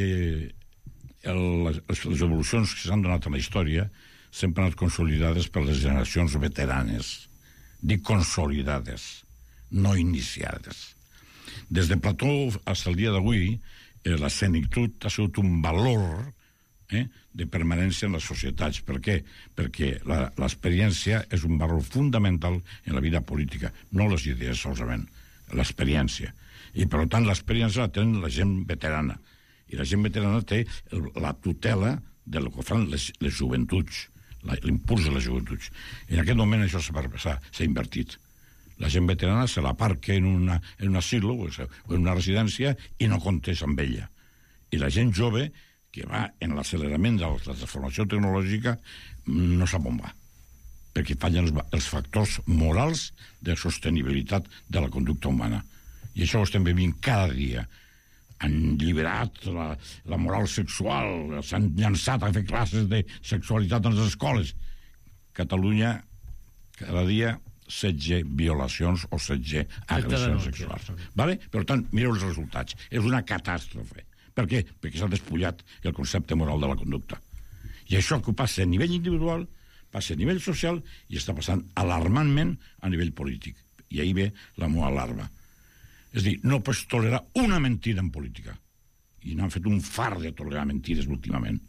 les evolucions que s'han donat a la història sempre han estat consolidades per les generacions veteranes. Dic consolidades, no iniciades. Des de Plató fins al dia d'avui, la senectut ha sigut un valor de permanència en les societats. Per què? Perquè l'experiència és un valor fundamental en la vida política, no les idees solament, l'experiència. I, per tant, l'experiència la tenen la gent veterana. I la gent veterana té la tutela del que fan les joventuts, l'impuls de les joventuts. En aquest moment això s'ha invertit. La gent veterana se l'aparca en un asilo o en una residència i no comptés amb ella. I la gent jove, que va en l'accelerament de la transformació tecnològica, no sap on va, perquè fallen els factors morals de sostenibilitat de la conducta humana. I això ho estem vivint cada dia. Han liberat la moral sexual, s'han llançat a fer classes de sexualitat a les escoles. Catalunya, cada dia 16 violacions o 16 agressions sexuals. Vale? Per tant, mireu els resultats. És una catàstrofe. Per què? Perquè s'ha despullat el concepte moral de la conducta. I això que passa a nivell individual, passa a nivell social i està passant alarmantment a nivell polític. I ahir ve la meva alarma. És a dir, no pots tolerar una mentida en política. I n'han fet un far de tolerar mentides últimament.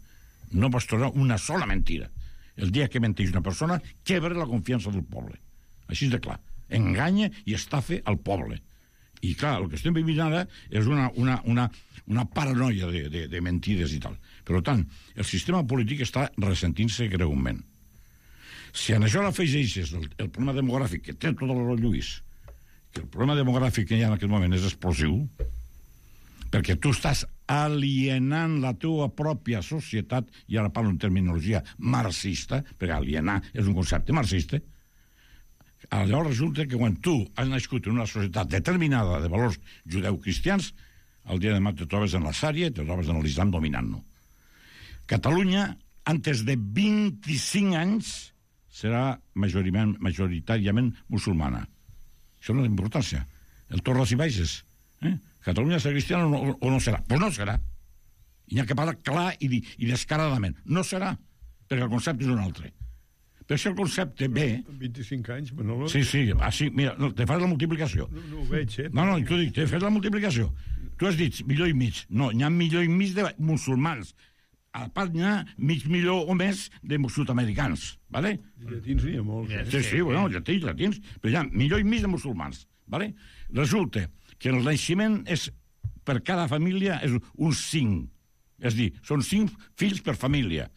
No pots tolerar una sola mentida. El dia que menteix una persona, quebra la confiança del poble. Així és de clar. Enganya i estafa al poble. I clar, el que estem vivint ara és una paranoia de mentides i tal. Per tant, el sistema polític està ressentint-se greument. Si en això l'afegeixes el problema demogràfic, que té tot el Lluís, que el problema demogràfic que hi ha en aquest moment és explosiu, perquè tu estàs alienant la teva pròpia societat, i ara parlo en terminologia marxista, perquè alienar és un concepte marxista, Llavors resulta que quan tu has nascut en una societat determinada de valors judeu-cristians, el dia de demà te trobes en la Sària i te trobes en l'Islam dominant-no. Catalunya, antes de 25 anys, serà majoritàriament musulmana. Això no és importància. El torres i baixes. Catalunya serà cristiana o no serà? Doncs no serà. I n'hi ha que parlar clar i descaradament. No serà, perquè el concepte és un altre. Però si el concepte ve... 25 anys, Manolo... Sí, mira, te fas la multiplicació. No ho veig, No, t'ho dic, te fas la multiplicació. Tu has dit milió i mig. No, n'hi ha milió i mig de musulmans. A part n'hi ha mig milió o més de sud-americans, ¿vale? Llatins n'hi ha molts. Sí, bueno, llatins. Però hi ha milió i mig de musulmans, ¿vale? Resulta que el naixement és, per cada família, és un 5. És a dir, són 5 fills per família.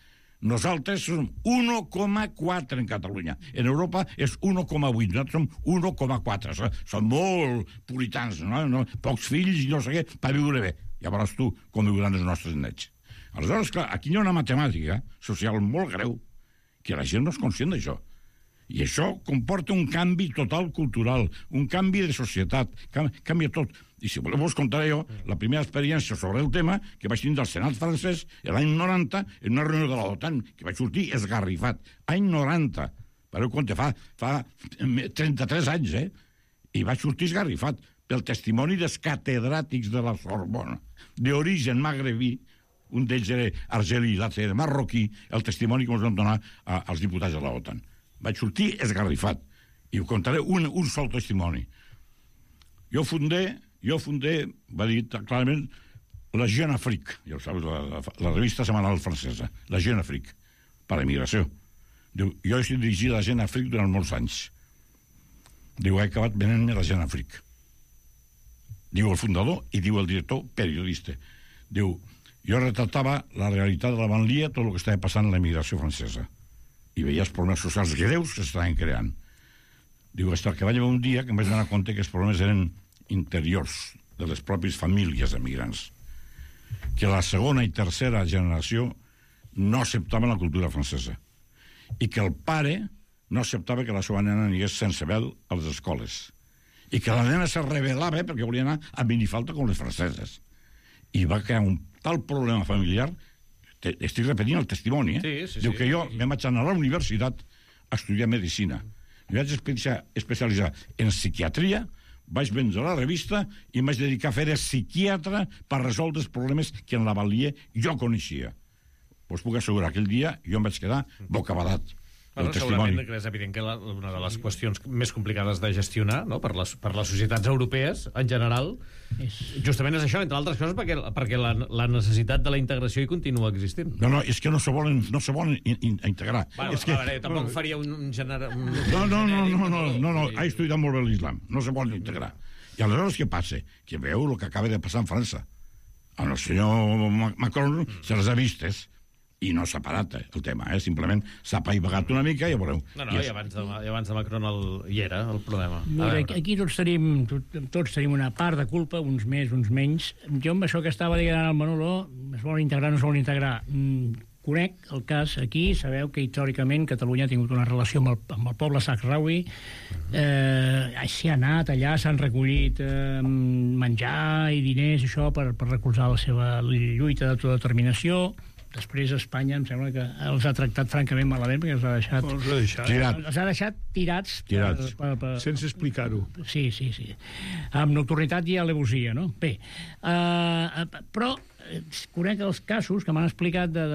Nosaltres som 1,4 en Catalunya. En Europa és 1,8. Nosaltres som 1,4. Són molt puritans, no? Pocs fills i no sé què, per viure bé. Ja veuràs tu com viuran els nostres nets. Aleshores, clar, aquí hi ha una matemàtica social molt greu que la gent no és conscient d'això. I això comporta un canvi total cultural, un canvi de societat, canvia tot. I si voleu us contaré jo la primera experiència sobre el tema que vaig tenir del Senat francès l'any 90 en una reunió de l'OTAN, que vaig sortir esgarrifat. Any 90. Pareu compte, fa 33 anys, I vaig sortir esgarrifat pel testimoni dels catedràtics de la Sorbona, d'origen magrebí, un d'ells era argelí, l'altre era marroquí, el testimoni que ens van donar als diputats de l'OTAN. Vaig sortir esgarrifat. I ho contaré un sol testimoni. Jo fundé, va dir clarament, la Jeune Afrique, ja ho saps, la revista setmanal francesa, la Jeune Afrique, per a l'emigració. Diu, jo he dirigit la Jeune Afrique durant molts anys. Diu, he acabat venent-me la Jeune Afrique. Diu el fundador i diu el director periodista. Diu, jo retratava la realitat de la banlieue, tot el que estava passant en l'emigració francesa. I veia els problemes socials greus que s'estaven creant. Diu, fins que va llevar un dia que em vaig donar compte que els problemes eren interiors de les pròpies famílies emigrants, que la segona i tercera generació no acceptaven la cultura francesa i que el pare no acceptava que la seva nena anés sense vel a les escoles i que la nena se rebel·lava perquè volia anar a minifalda com les franceses i va crear un tal problema familiar. Estic repetint el testimoni, Diu que jo em vaig anar a la universitat a estudiar medicina. Em vaig especialitzar en psiquiatria, vaig vendre la revista i em vaig dedicar a fer de psiquiatre per resoldre els problemes que en la banlieue jo coneixia. Us puc assegurar que aquell dia jo em vaig quedar bocabadat. Segurament que és evident que una de les qüestions més complicades de gestionar, no? per les societats europees en general, justament és això, entre altres coses, perquè la necessitat de la integració hi continua existint. No, és que no se volen integrar. Tampoc faria un gènere... No, ha estudiat molt bé l'islam, no se volen integrar. I aleshores què passa? Que veu el que acaba de passar en França. El senyor Macron se les ha vistes i no s'ha parat el tema, simplement s'ha apaivagat una mica i ja veureu. I abans de Macron hi era el problema. Mira, aquí tots tenim una part de culpa, uns més, uns menys. Jo amb això que estava dient al Manolo, es volen integrar o no es volen integrar, conec el cas aquí, sabeu que històricament Catalunya ha tingut una relació amb el poble sahraui, s'hi ha anat allà, s'han recollit menjar i diners, això, per recolzar la seva lluita d'autodeterminació. Després Espanya em sembla que els ha tractat francament malament perquè els ha deixat tirats. Sense explicar-ho. Sí. Amb nocturnitat i alevosia, no? Bé, però conec els casos que m'han explicat de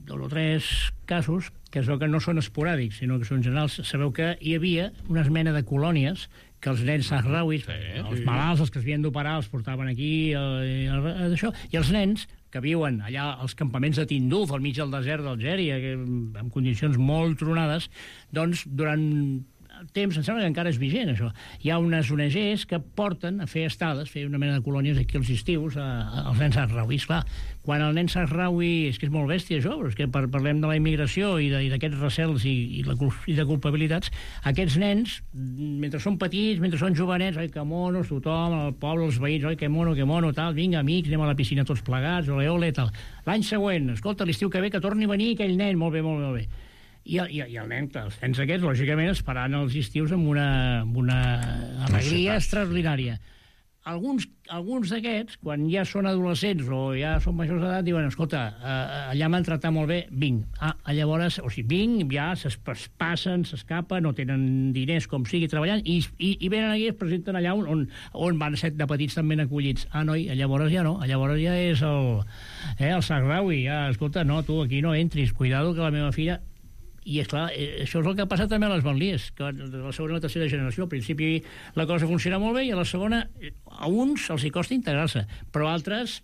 2 o 3 casos que es veu que no són esporàdics, sinó que són generals. Sabeu que hi havia una mena de colònies que els nens sahrauis, els malalts, els que es havien d'operar, els portaven aquí, això, i els nens que viuen allà als campaments de Tinduf, al mig del desert d'Algèria, en condicions molt tronades, doncs durant temps, em sembla que encara és vigent això, hi ha unes ONGs que porten a fer estades, fer una mena de colònies aquí als estius als nens sahrauis. Clar, quan el nen sahraui, és que és molt bèstia això, però és que parlem de la immigració i d'aquests recels i de culpabilitats, aquests nens, mentre són petits, mentre són jovenets, oi, que monos, tothom, el poble, els veïns, oi, que mono, tal, vinga, amics, anem a la piscina tots plegats, ole, tal. L'any següent, escolta, l'estiu que ve que torni a venir aquell nen, molt bé. I el nen, els nens aquests, lògicament, esperant els estius amb una alegria extraordinària. Alguns d'aquests, quan ja són adolescents o ja són majors d'edat, diuen, escolta, allà m'han tratat molt bé, vinc. Llavors, vinc, ja passen, s'escapen, no tenen diners com sigui treballant, i venen aquí i es presenten allà on van ser de petits també acollits. Noi, llavors ja no, llavors ja és el Sarraui, ja, escolta, no, tu aquí no entris, cuidado que la meva filla... I, esclar, això és el que ha passat també a les banlieues, que de la segona i la tercera generació. Al principi la cosa funciona molt bé i a la segona a uns els hi costa integrar-se, però altres,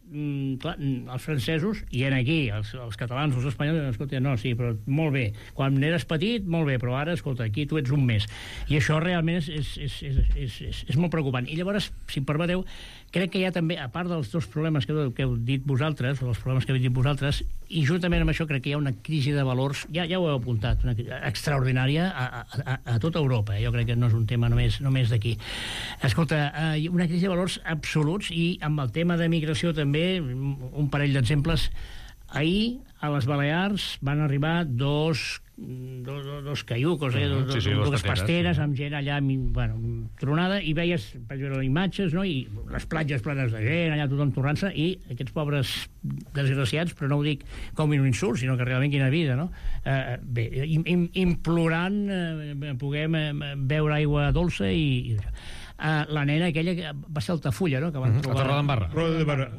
clar, els francesos, i aquí, els catalans, els espanyols, escolta, no, sí, però molt bé. Quan eres petit, molt bé, però ara, escolta, aquí tu ets un mes. I això realment és molt preocupant. I llavors, si em permeteu, crec que hi ha també, a part dels dos problemes que heu dit vosaltres, o els problemes que heu dit vosaltres, i juntament amb això crec que hi ha una crisi de valors, ja ho heu apuntat, extraordinària a tota Europa. Jo crec que no és un tema només d'aquí. Escolta, una crisi de valors absoluts, i amb el tema de migració també, un parell d'exemples. Ahir, a les Balears, van arribar dos caiucos, dues pasteres, amb gent allà, tronada, i veies imatges, no?, i les platges plenes de gent, allà tothom tornant-se, i aquests pobres desgraciats, però no ho dic com un insult, sinó que realment quina vida, no? Bé, implorant puguem beure aigua dolça i la nena aquella que va ser Altafulla, no?, que van trobar... A Torredembarra. Rodembarra.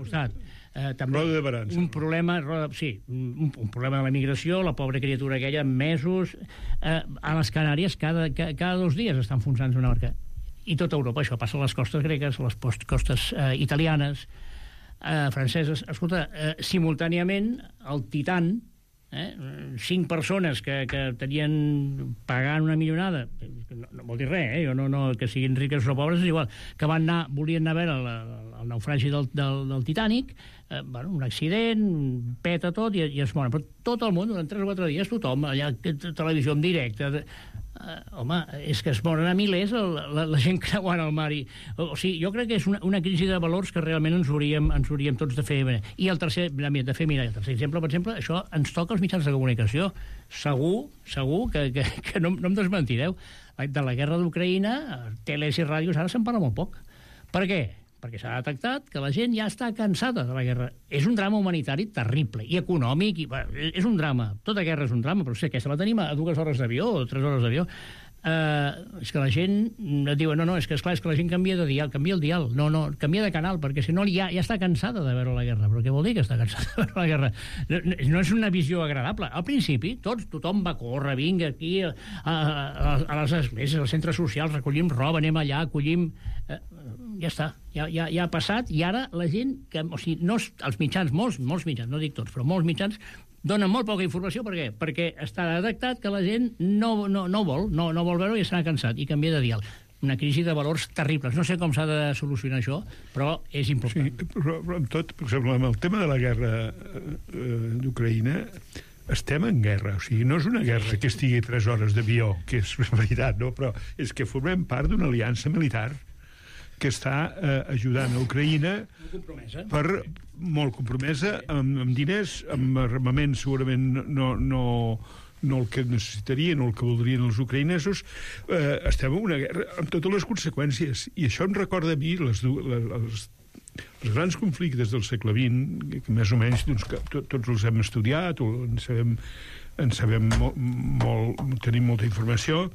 També un problema, un problema de la migració, la pobra criatura aquella, mesos. A les Canàries cada 2 dies està enfonsant-se una barca. I tota Europa, això passa a les costes gregues, a les costes italianes, franceses. Escolta, simultàniament, el Titan, 5 persones que tenien pagant una millonada, no vol dir res, jo no que siguin riques o pobres, és igual, que volien anar a veure el naufragi del Titanic, un accident, peta tot i es moren. Però tot el món, durant 3 o 4 dies, tothom, allà, televisió en directe... home, és que es moren a milers la gent creuant el mar. O sigui, jo crec que és una crisi de valors que realment ens hauríem tots de fer. I el tercer, el tercer exemple, per exemple, això ens toca als mitjans de comunicació. Segur que no em desmentireu. De la guerra d'Ucraïna, teles i ràdios ara se'n parla molt poc. Per què? Perquè s'ha detectat que la gent ja està cansada de la guerra. És un drama humanitari terrible, i econòmic, és un drama. Tota guerra és un drama, però aquesta la tenim a 2 hores d'avió o 3 hores d'avió. És que la gent et diu, no, és que esclar, és que la gent canvia de dial, canvia el dial, no, canvia de canal, perquè si no ja està cansada de veure la guerra. Però què vol dir que està cansada de veure la guerra? No és una visió agradable. Al principi, tothom va córrer, vinga aquí a les esglésies, als centres socials, recollim roba, anem allà, acollim... Ja està, ja ha passat, i ara la gent, o sigui, els mitjans, molts mitjans, no dic tots, però molts mitjans, donen molt poca informació. Per què? Perquè està detectat que la gent no vol veure i s'ha cansat, i canvia de dial. Una crisi de valors terribles. No sé com s'ha de solucionar això, però és important. Sí, però amb tot, per exemple, amb el tema de la guerra d'Ucraïna, estem en guerra, o sigui, no és una guerra que estigui 3 hores d'avió, que és veritat, no? Però és que formem part d'una aliança militar que està ajudant a Ucraïna molt compromesa, amb diners, amb armament segurament no el que necessitarien o el que voldrien els ucraïnesos. Estem en una guerra amb totes les conseqüències, i això em recorda a mi els grans conflictes del segle XX, que més o menys tots els hem estudiat o en sabem molt, tenim molta informació.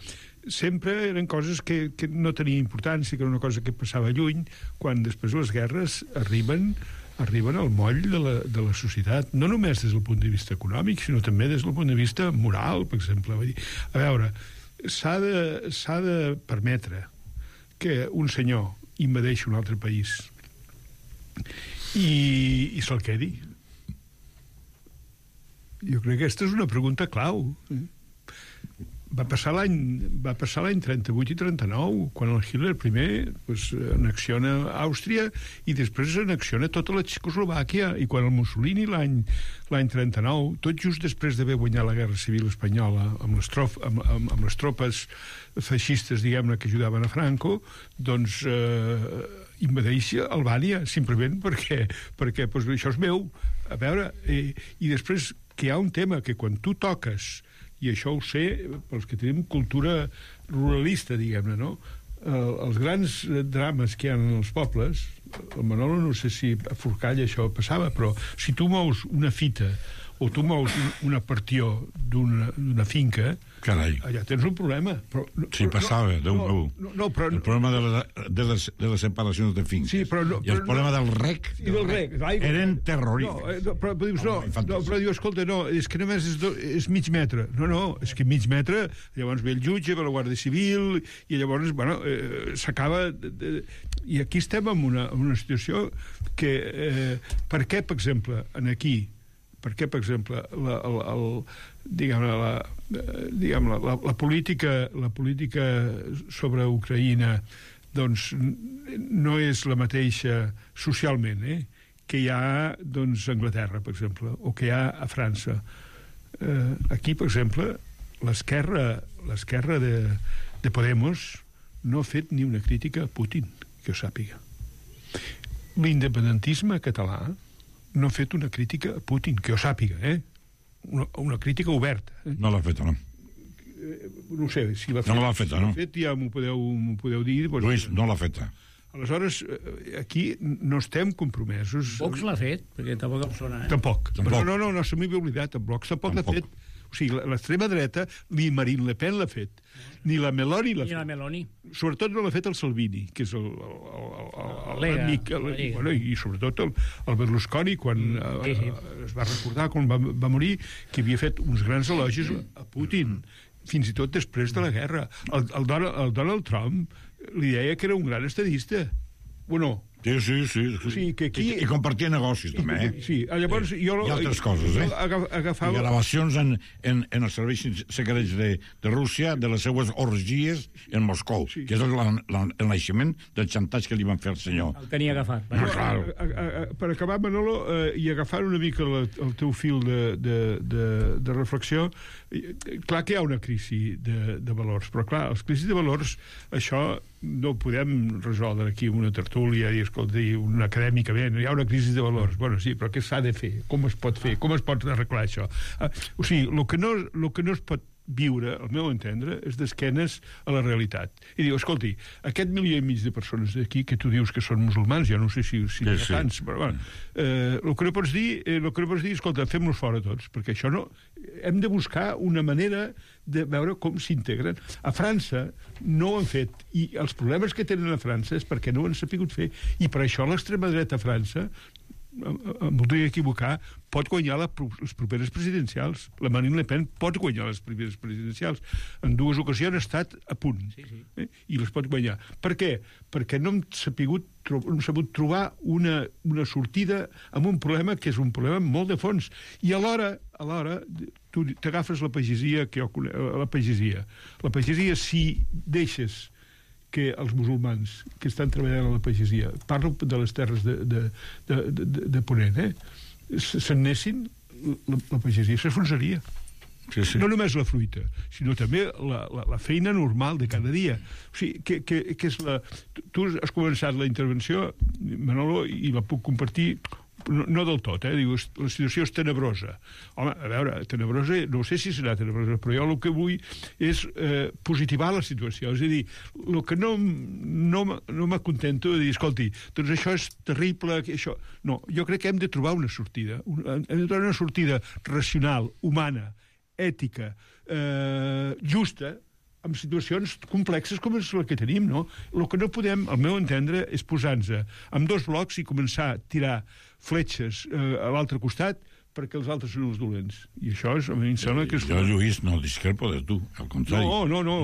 Sempre eren coses que no tenien importància, que era una cosa que passava lluny, quan després les guerres arriben al moll de la societat, no només des del punt de vista econòmic, sinó també des del punt de vista moral, per exemple. A veure, s'ha de permetre que un senyor invadeixi un altre país i se'l quedi. Jo crec que aquesta és una pregunta clau. Va passar l'any 38 i 39, quan el Hitler primer anexiona Àustria i després anexiona tota la Txecoslovàquia, i quan el Mussolini l'any 39, tot just després d'haver guanyat la Guerra Civil Espanyola amb les tropes feixistes, diguem-ne, que ajudaven a Franco, doncs invadeix Albània, simplement perquè això és meu. A veure, i després que hi ha un tema que quan tu toques i això ho sé pels que tenim cultura ruralista, diguem-ne, no? Els grans drames que hi ha en els pobles, el Manolo no sé si a Forcall això passava, però si tu mous una fita o tu mous una partió d'una finca, carai, allà tens un problema. Però, sí, passava, però, el problema de les separacions de finques. Sí, però i el problema del rec, eren terrorífics. Però dius, però dius, escolta, no, és que només és mig metre. No, és que mig metre, llavors ve el jutge, ve la Guàrdia Civil, i llavors, bueno, s'acaba... I aquí estem en una situació que... Per què, per exemple, aquí... Per què, per exemple, la política sobre Ucraïna doncs, no és la mateixa socialment que hi ha doncs, a Anglaterra, per exemple, o que hi ha a França. Aquí, per exemple, l'esquerra de Podemos no ha fet ni una crítica a Putin, que ho sàpiga. L'independentisme català no ha fet una crítica a Putin, que ho sàpiga, una crítica oberta. No l'ha feta, no. No sé, si l'ha fet... No l'ha feta, no. Si l'ha fet, ja m'ho podeu dir. Doncs, Lluís, no l'ha feta. Aleshores, aquí no estem compromesos. Vox l'ha fet, perquè tampoc em sona, Tampoc. No, se m'havia oblidat, en Vox tampoc l'ha fet. O sigui, l'extrema dreta, ni Marine Le Pen l'ha fet, ni la Meloni l'ha fet. Ni la Meloni. Sobretot no l'ha fet el Salvini, que és l'amic, i sobretot el Berlusconi, quan es va recordar, quan va morir, que havia fet uns grans elogis a Putin, fins i tot després de la guerra. El Donald Trump li deia que era un gran estadista. Bueno, sí. O sigui, que aquí... I compartia negocis, també, Sí, llavors jo... I altres coses, agafava... I gravacions en els serveis secrets de Rússia de les seues orgies en Moscou, que és el naixement del xantatge que li van fer al senyor. El tenia agafat. Per acabar, Manolo, i agafar una mica el teu fil de reflexió, clar que hi ha una crisi de valors, però clar, les crisis de valors, això no ho podem resoldre aquí amb una tertúlia i escolta, un acadèmicament, hi ha una crisi de valors. Bueno, sí, però què s'ha de fer? Com es pot fer? Com es pot arreglar això? O sigui, el que no es pot viure, al meu entendre, és d'esquenes a la realitat. I diu, escolti, aquest 1,5 milió de persones d'aquí, que tu dius que són musulmans, ja no sé si hi ha tants, però bueno, el que no pots dir, escolta, fem-los fora tots, perquè això no... Hem de buscar una manera de veure com s'integren. A França no ho han fet, i els problemes que tenen a França és perquè no ho han sapigut fer, i per això l'extrema dreta a França, em voldria equivocar, pot guanyar les properes presidencials. La Marine Le Pen pot guanyar les properes presidencials. En 2 ocasions ha estat a punt. I les pot guanyar. Per què? Perquè no hem sabut trobar una sortida amb un problema que és un problema molt de fons. I alhora tu t'agafes la pagesia, la pagesia, si deixes que els musulmans que estan treballant a la pagesia, parlo de les terres de Ponent, se'n anessin, la pagesia s'enfonsaria. No només la fruita, sinó també la feina normal de cada dia. O sigui, que és la... Tu has començat la intervenció, Manolo, i la puc compartir... No del tot, dius, la situació és tenebrosa. Home, a veure, tenebrosa, no sé si serà tenebrosa, però jo el que vull és positivar la situació. És a dir, el que no m'acontento de dir, escolti, doncs això és terrible, això... No, jo crec que hem de trobar una sortida. Hem de trobar una sortida racional, humana, ètica, justa, en situacions complexes com és la que tenim, no? El que no podem, al meu entendre, és posar-nos amb 2 blocs i començar a tirar fletxes a l'altre costat perquè els altres són els dolents. I això a mi em sembla que és... Jo, Lluís, no discrepo de tu, al contrari. No.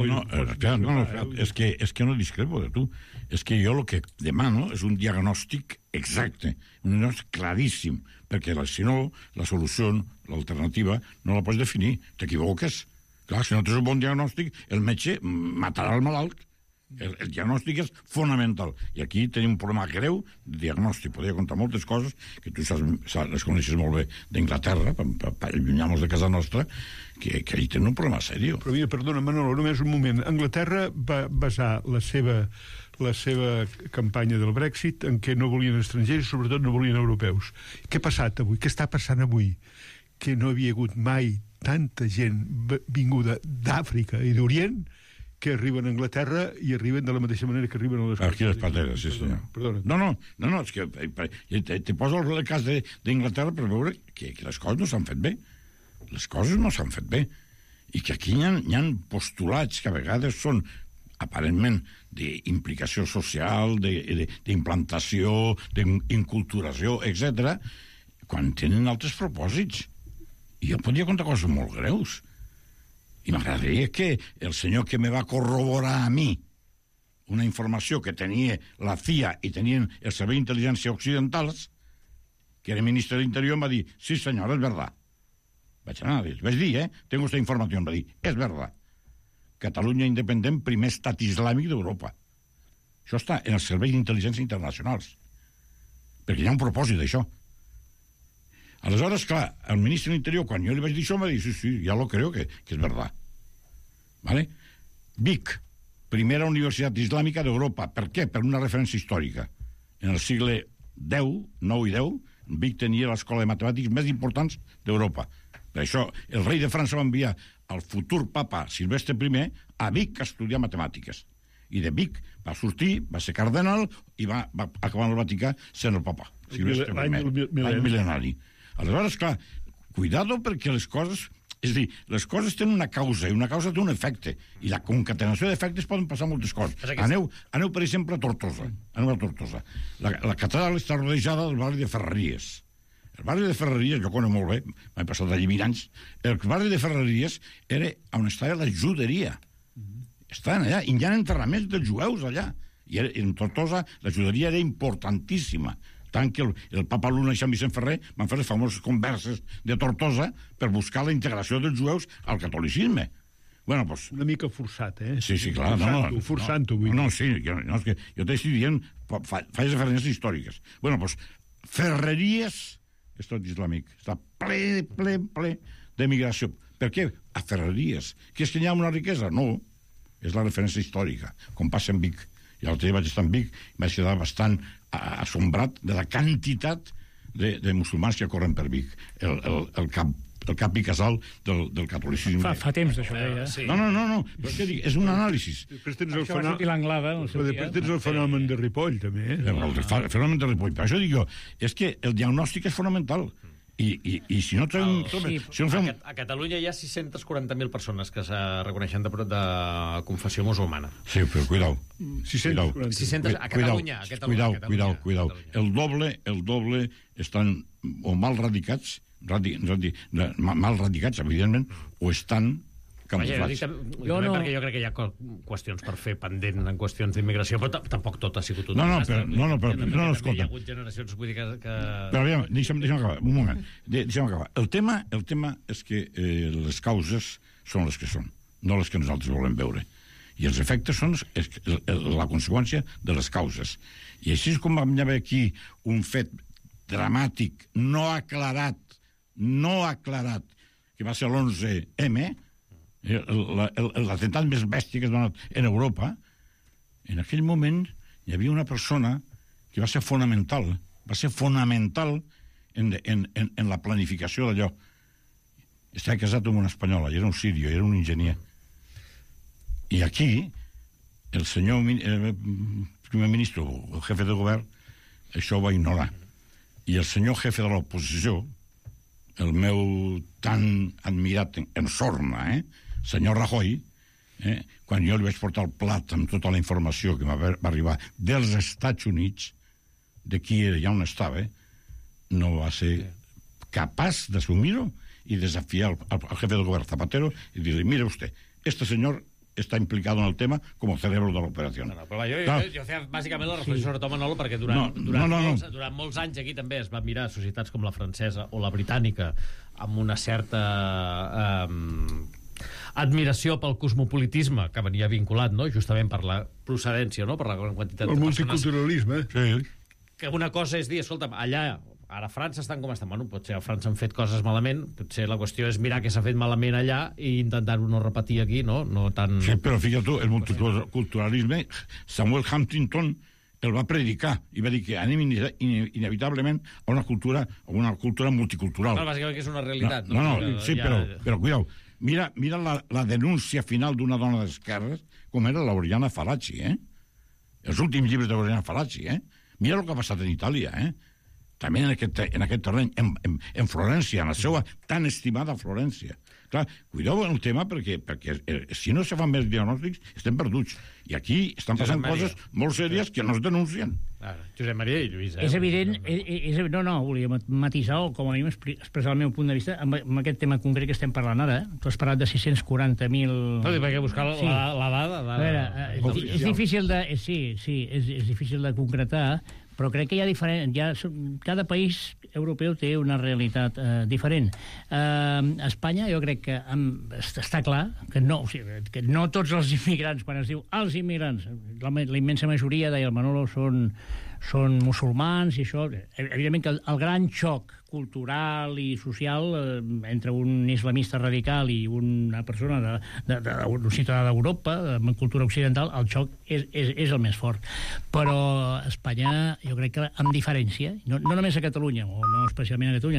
És que no discrepo de tu. És que jo el que demano és un diagnòstic exacte, un diagnòstic claríssim, perquè si no, la solució, l'alternativa, no la pots definir. T'equivoques. Clar, si no tens un bon diagnòstic, el metge matarà el malalt. El diagnòstic és fonamental. I aquí tenim un problema greu de diagnòstic. Podria contar moltes coses que tu les coneixes molt bé d'Inglaterra, per allunyar-nos de casa nostra, que allà tenen un problema seriós. Però mira, perdona, Manolo, només un moment. Anglaterra va basar la seva campanya del Brexit en què no volien estrangers i sobretot no volien europeus. Què ha passat avui? Què està passant avui? Que no havia hagut mai tanta gent vinguda d'Àfrica i d'Orient que arriben a Anglaterra i arriben de la mateixa manera que arriben a les... Aquí les pateres, sí, senyor. Perdona. No, és que te poso el cas d'Inglaterra per veure que les coses no s'han fet bé. Les coses no s'han fet bé. I que aquí hi ha postulats que a vegades són aparentment d'implicació social, d'implantació, d'inculturació, etc., quan tenen altres propòsits. I jo podria contar coses molt greus. I m'agradaria que el senyor que me va corroborar a mi una informació que tenia la CIA i tenien el Servei d'Intel·ligència Occidentals, que era ministre de l'Interior, em va dir, sí senyor, és verdad. Vaig dir, tengo esta informació, em va dir, és verdad. Catalunya independent, primer estat islàmic d'Europa. Això està en els serveis d'intel·ligència internacionals. Perquè hi ha un propòsit d'això. Aleshores, clar, el ministre de l'Interior, quan jo li vaig dir això, em va dir, sí, ja lo creo que es verdad. ¿Vale? Vic, primera universitat islàmica d'Europa. Per què? Per una referència històrica. En el segle X, 9 i 10, Vic tenia l'escola de matemàtics més importants d'Europa. Per això, el rei de França va enviar al futur papa Silvestre I a Vic a estudiar matemàtiques. I de Vic va sortir, va ser cardenal i va acabar en el Vaticà sent el papa. Silvestre I, l'any mil·lenari. Aleshores, clar, cuidado perquè les coses... És a dir, les coses tenen una causa i una causa té un efecte. I la concatenació d'efectes poden passar moltes coses. Aneu, per exemple, a Tortosa. La catedral està rodejada del barri de Ferreries. El barri de Ferreries, jo conec molt bé, m'he passat allà 20 anys, el barri de Ferreries era on estava la juderia. Estaven allà, i hi ha enterraments dels jueus allà. I en Tortosa la juderia era importantíssima. Tant que el papa Luna i Sant Vicent Ferrer van fer les famoses converses de Tortosa per buscar la integració dels jueus al catolicisme. Bueno, pues... Una mica forçat, eh? Sí, clar. Forçant-ho. No, sí, és que jo t'estic dient, faig referències històriques. Bueno, pues, Ferreries, estat islàmic, està ple d'emigració. Per què? A Ferreries. Que és que hi ha una riquesa? No, és la referència històrica, com passa en Vic. I l'altre dia vaig estar en Vic i vaig quedar bastant assombrat de la quantitat de musulmans que corren per Vic. El cap i casal del catolicisme. Fa temps d'això, sí. No, però què dic? És un anàlisi. Després tens el fenomen de Ripoll, també. El fenomen de Ripoll. Per això dic jo, és que el diagnòstic és fonamental. I si no trobem... A Catalunya hi ha 640.000 persones que se reconeixen de confessió musulmana. Sí, però cuidao. 600 a Catalunya. Cuidao. El doble estan o mal radicats, evidentment, o estan camuflats. Perquè jo crec que hi ha qüestions per fer pendent en qüestions d'immigració, però tampoc tot ha sigut un desastre. No, escolta. Hi ha hagut generacions, vull dir que... Però aviam, deixa'm acabar, un moment. Deixa'm acabar. El tema és que les causes són les que són, no les que nosaltres volem veure. I els efectes són la conseqüència de les causes. I així és com vam haver aquí un fet dramàtic, no aclarat, que va ser l'11M, l'atemptat més bèstia que es va donar en Europa. En aquell moment hi havia una persona que va ser fonamental en la planificació d'allò. Estava casat amb una espanyola, i era un sirio, era un enginyer. I aquí, el senyor primer ministre, el jefe de govern, això ho va ignorar. I el senyor jefe de l'oposició, el meu tan admirat en sorna, senyor Rajoy, quan jo li vaig portar el plat amb tota la informació que va arribar dels Estats Units, de qui era i on estava, no va ser capaç d'assumir-ho i desafiar al jefe del govern Zapatero i dir-li, mire usted, este senyor está implicado en el tema como cerebro de l'operació. Jo feia bàsicament la reflexió sobre Manolo perquè durant molts anys aquí també es van mirar societats com la francesa o la britànica amb una certa admiració pel cosmopolitisme que venia vinculat, no? Justament per la procedència, no? Per la gran quantitat de persones. El multiculturalisme. Sí. Que una cosa és dir, escolta'm, allà, ara a França estan com estan. Bueno, potser a França han fet coses malament, potser la qüestió és mirar què s'ha fet malament allà i intentar-ho no repetir aquí, no? No tan... Sí, però fíjate tu, el multiculturalisme, Samuel Huntington el va predicar i va dir que anem inevitablement a una cultura multicultural. No, bàsicament que és una realitat. No, sí, però cuidao. Mira la denúncia final d'una dona d'esquerres, com era l'Oriana Fallaci, Els últims llibres d'Oriana Fallaci, Mira el que ha passat en Itàlia, També en aquest terreny, en Florència, en la seva tan estimada Florència. Clar, cuideu el tema perquè si no se fan més diagnòstics estem perduts. I aquí estan passant coses molt sèries que no es denuncien. Josep Maria i Lluís. És evident, volia matisar o com a mínim expressar el meu punt de vista amb aquest tema concret que estem parlant ara. Tu has parlat de 640.000... No, perquè buscar la dada... A veure, és difícil de... Sí, és difícil de concretar, però crec que cada país europeu té una realitat diferent. Espanya, jo crec que està clar que no tots els immigrants, quan es diu els immigrants, la immensa majoria, deia el Manolo, són musulmans, i això... Evidentment que el gran xoc cultural i social entre un islamista radical i una persona un ciutadà d'Europa, amb cultura occidental, el xoc és el més fort. Però Espanya, jo crec que amb diferència, no només a Catalunya, o no especialment a Catalunya,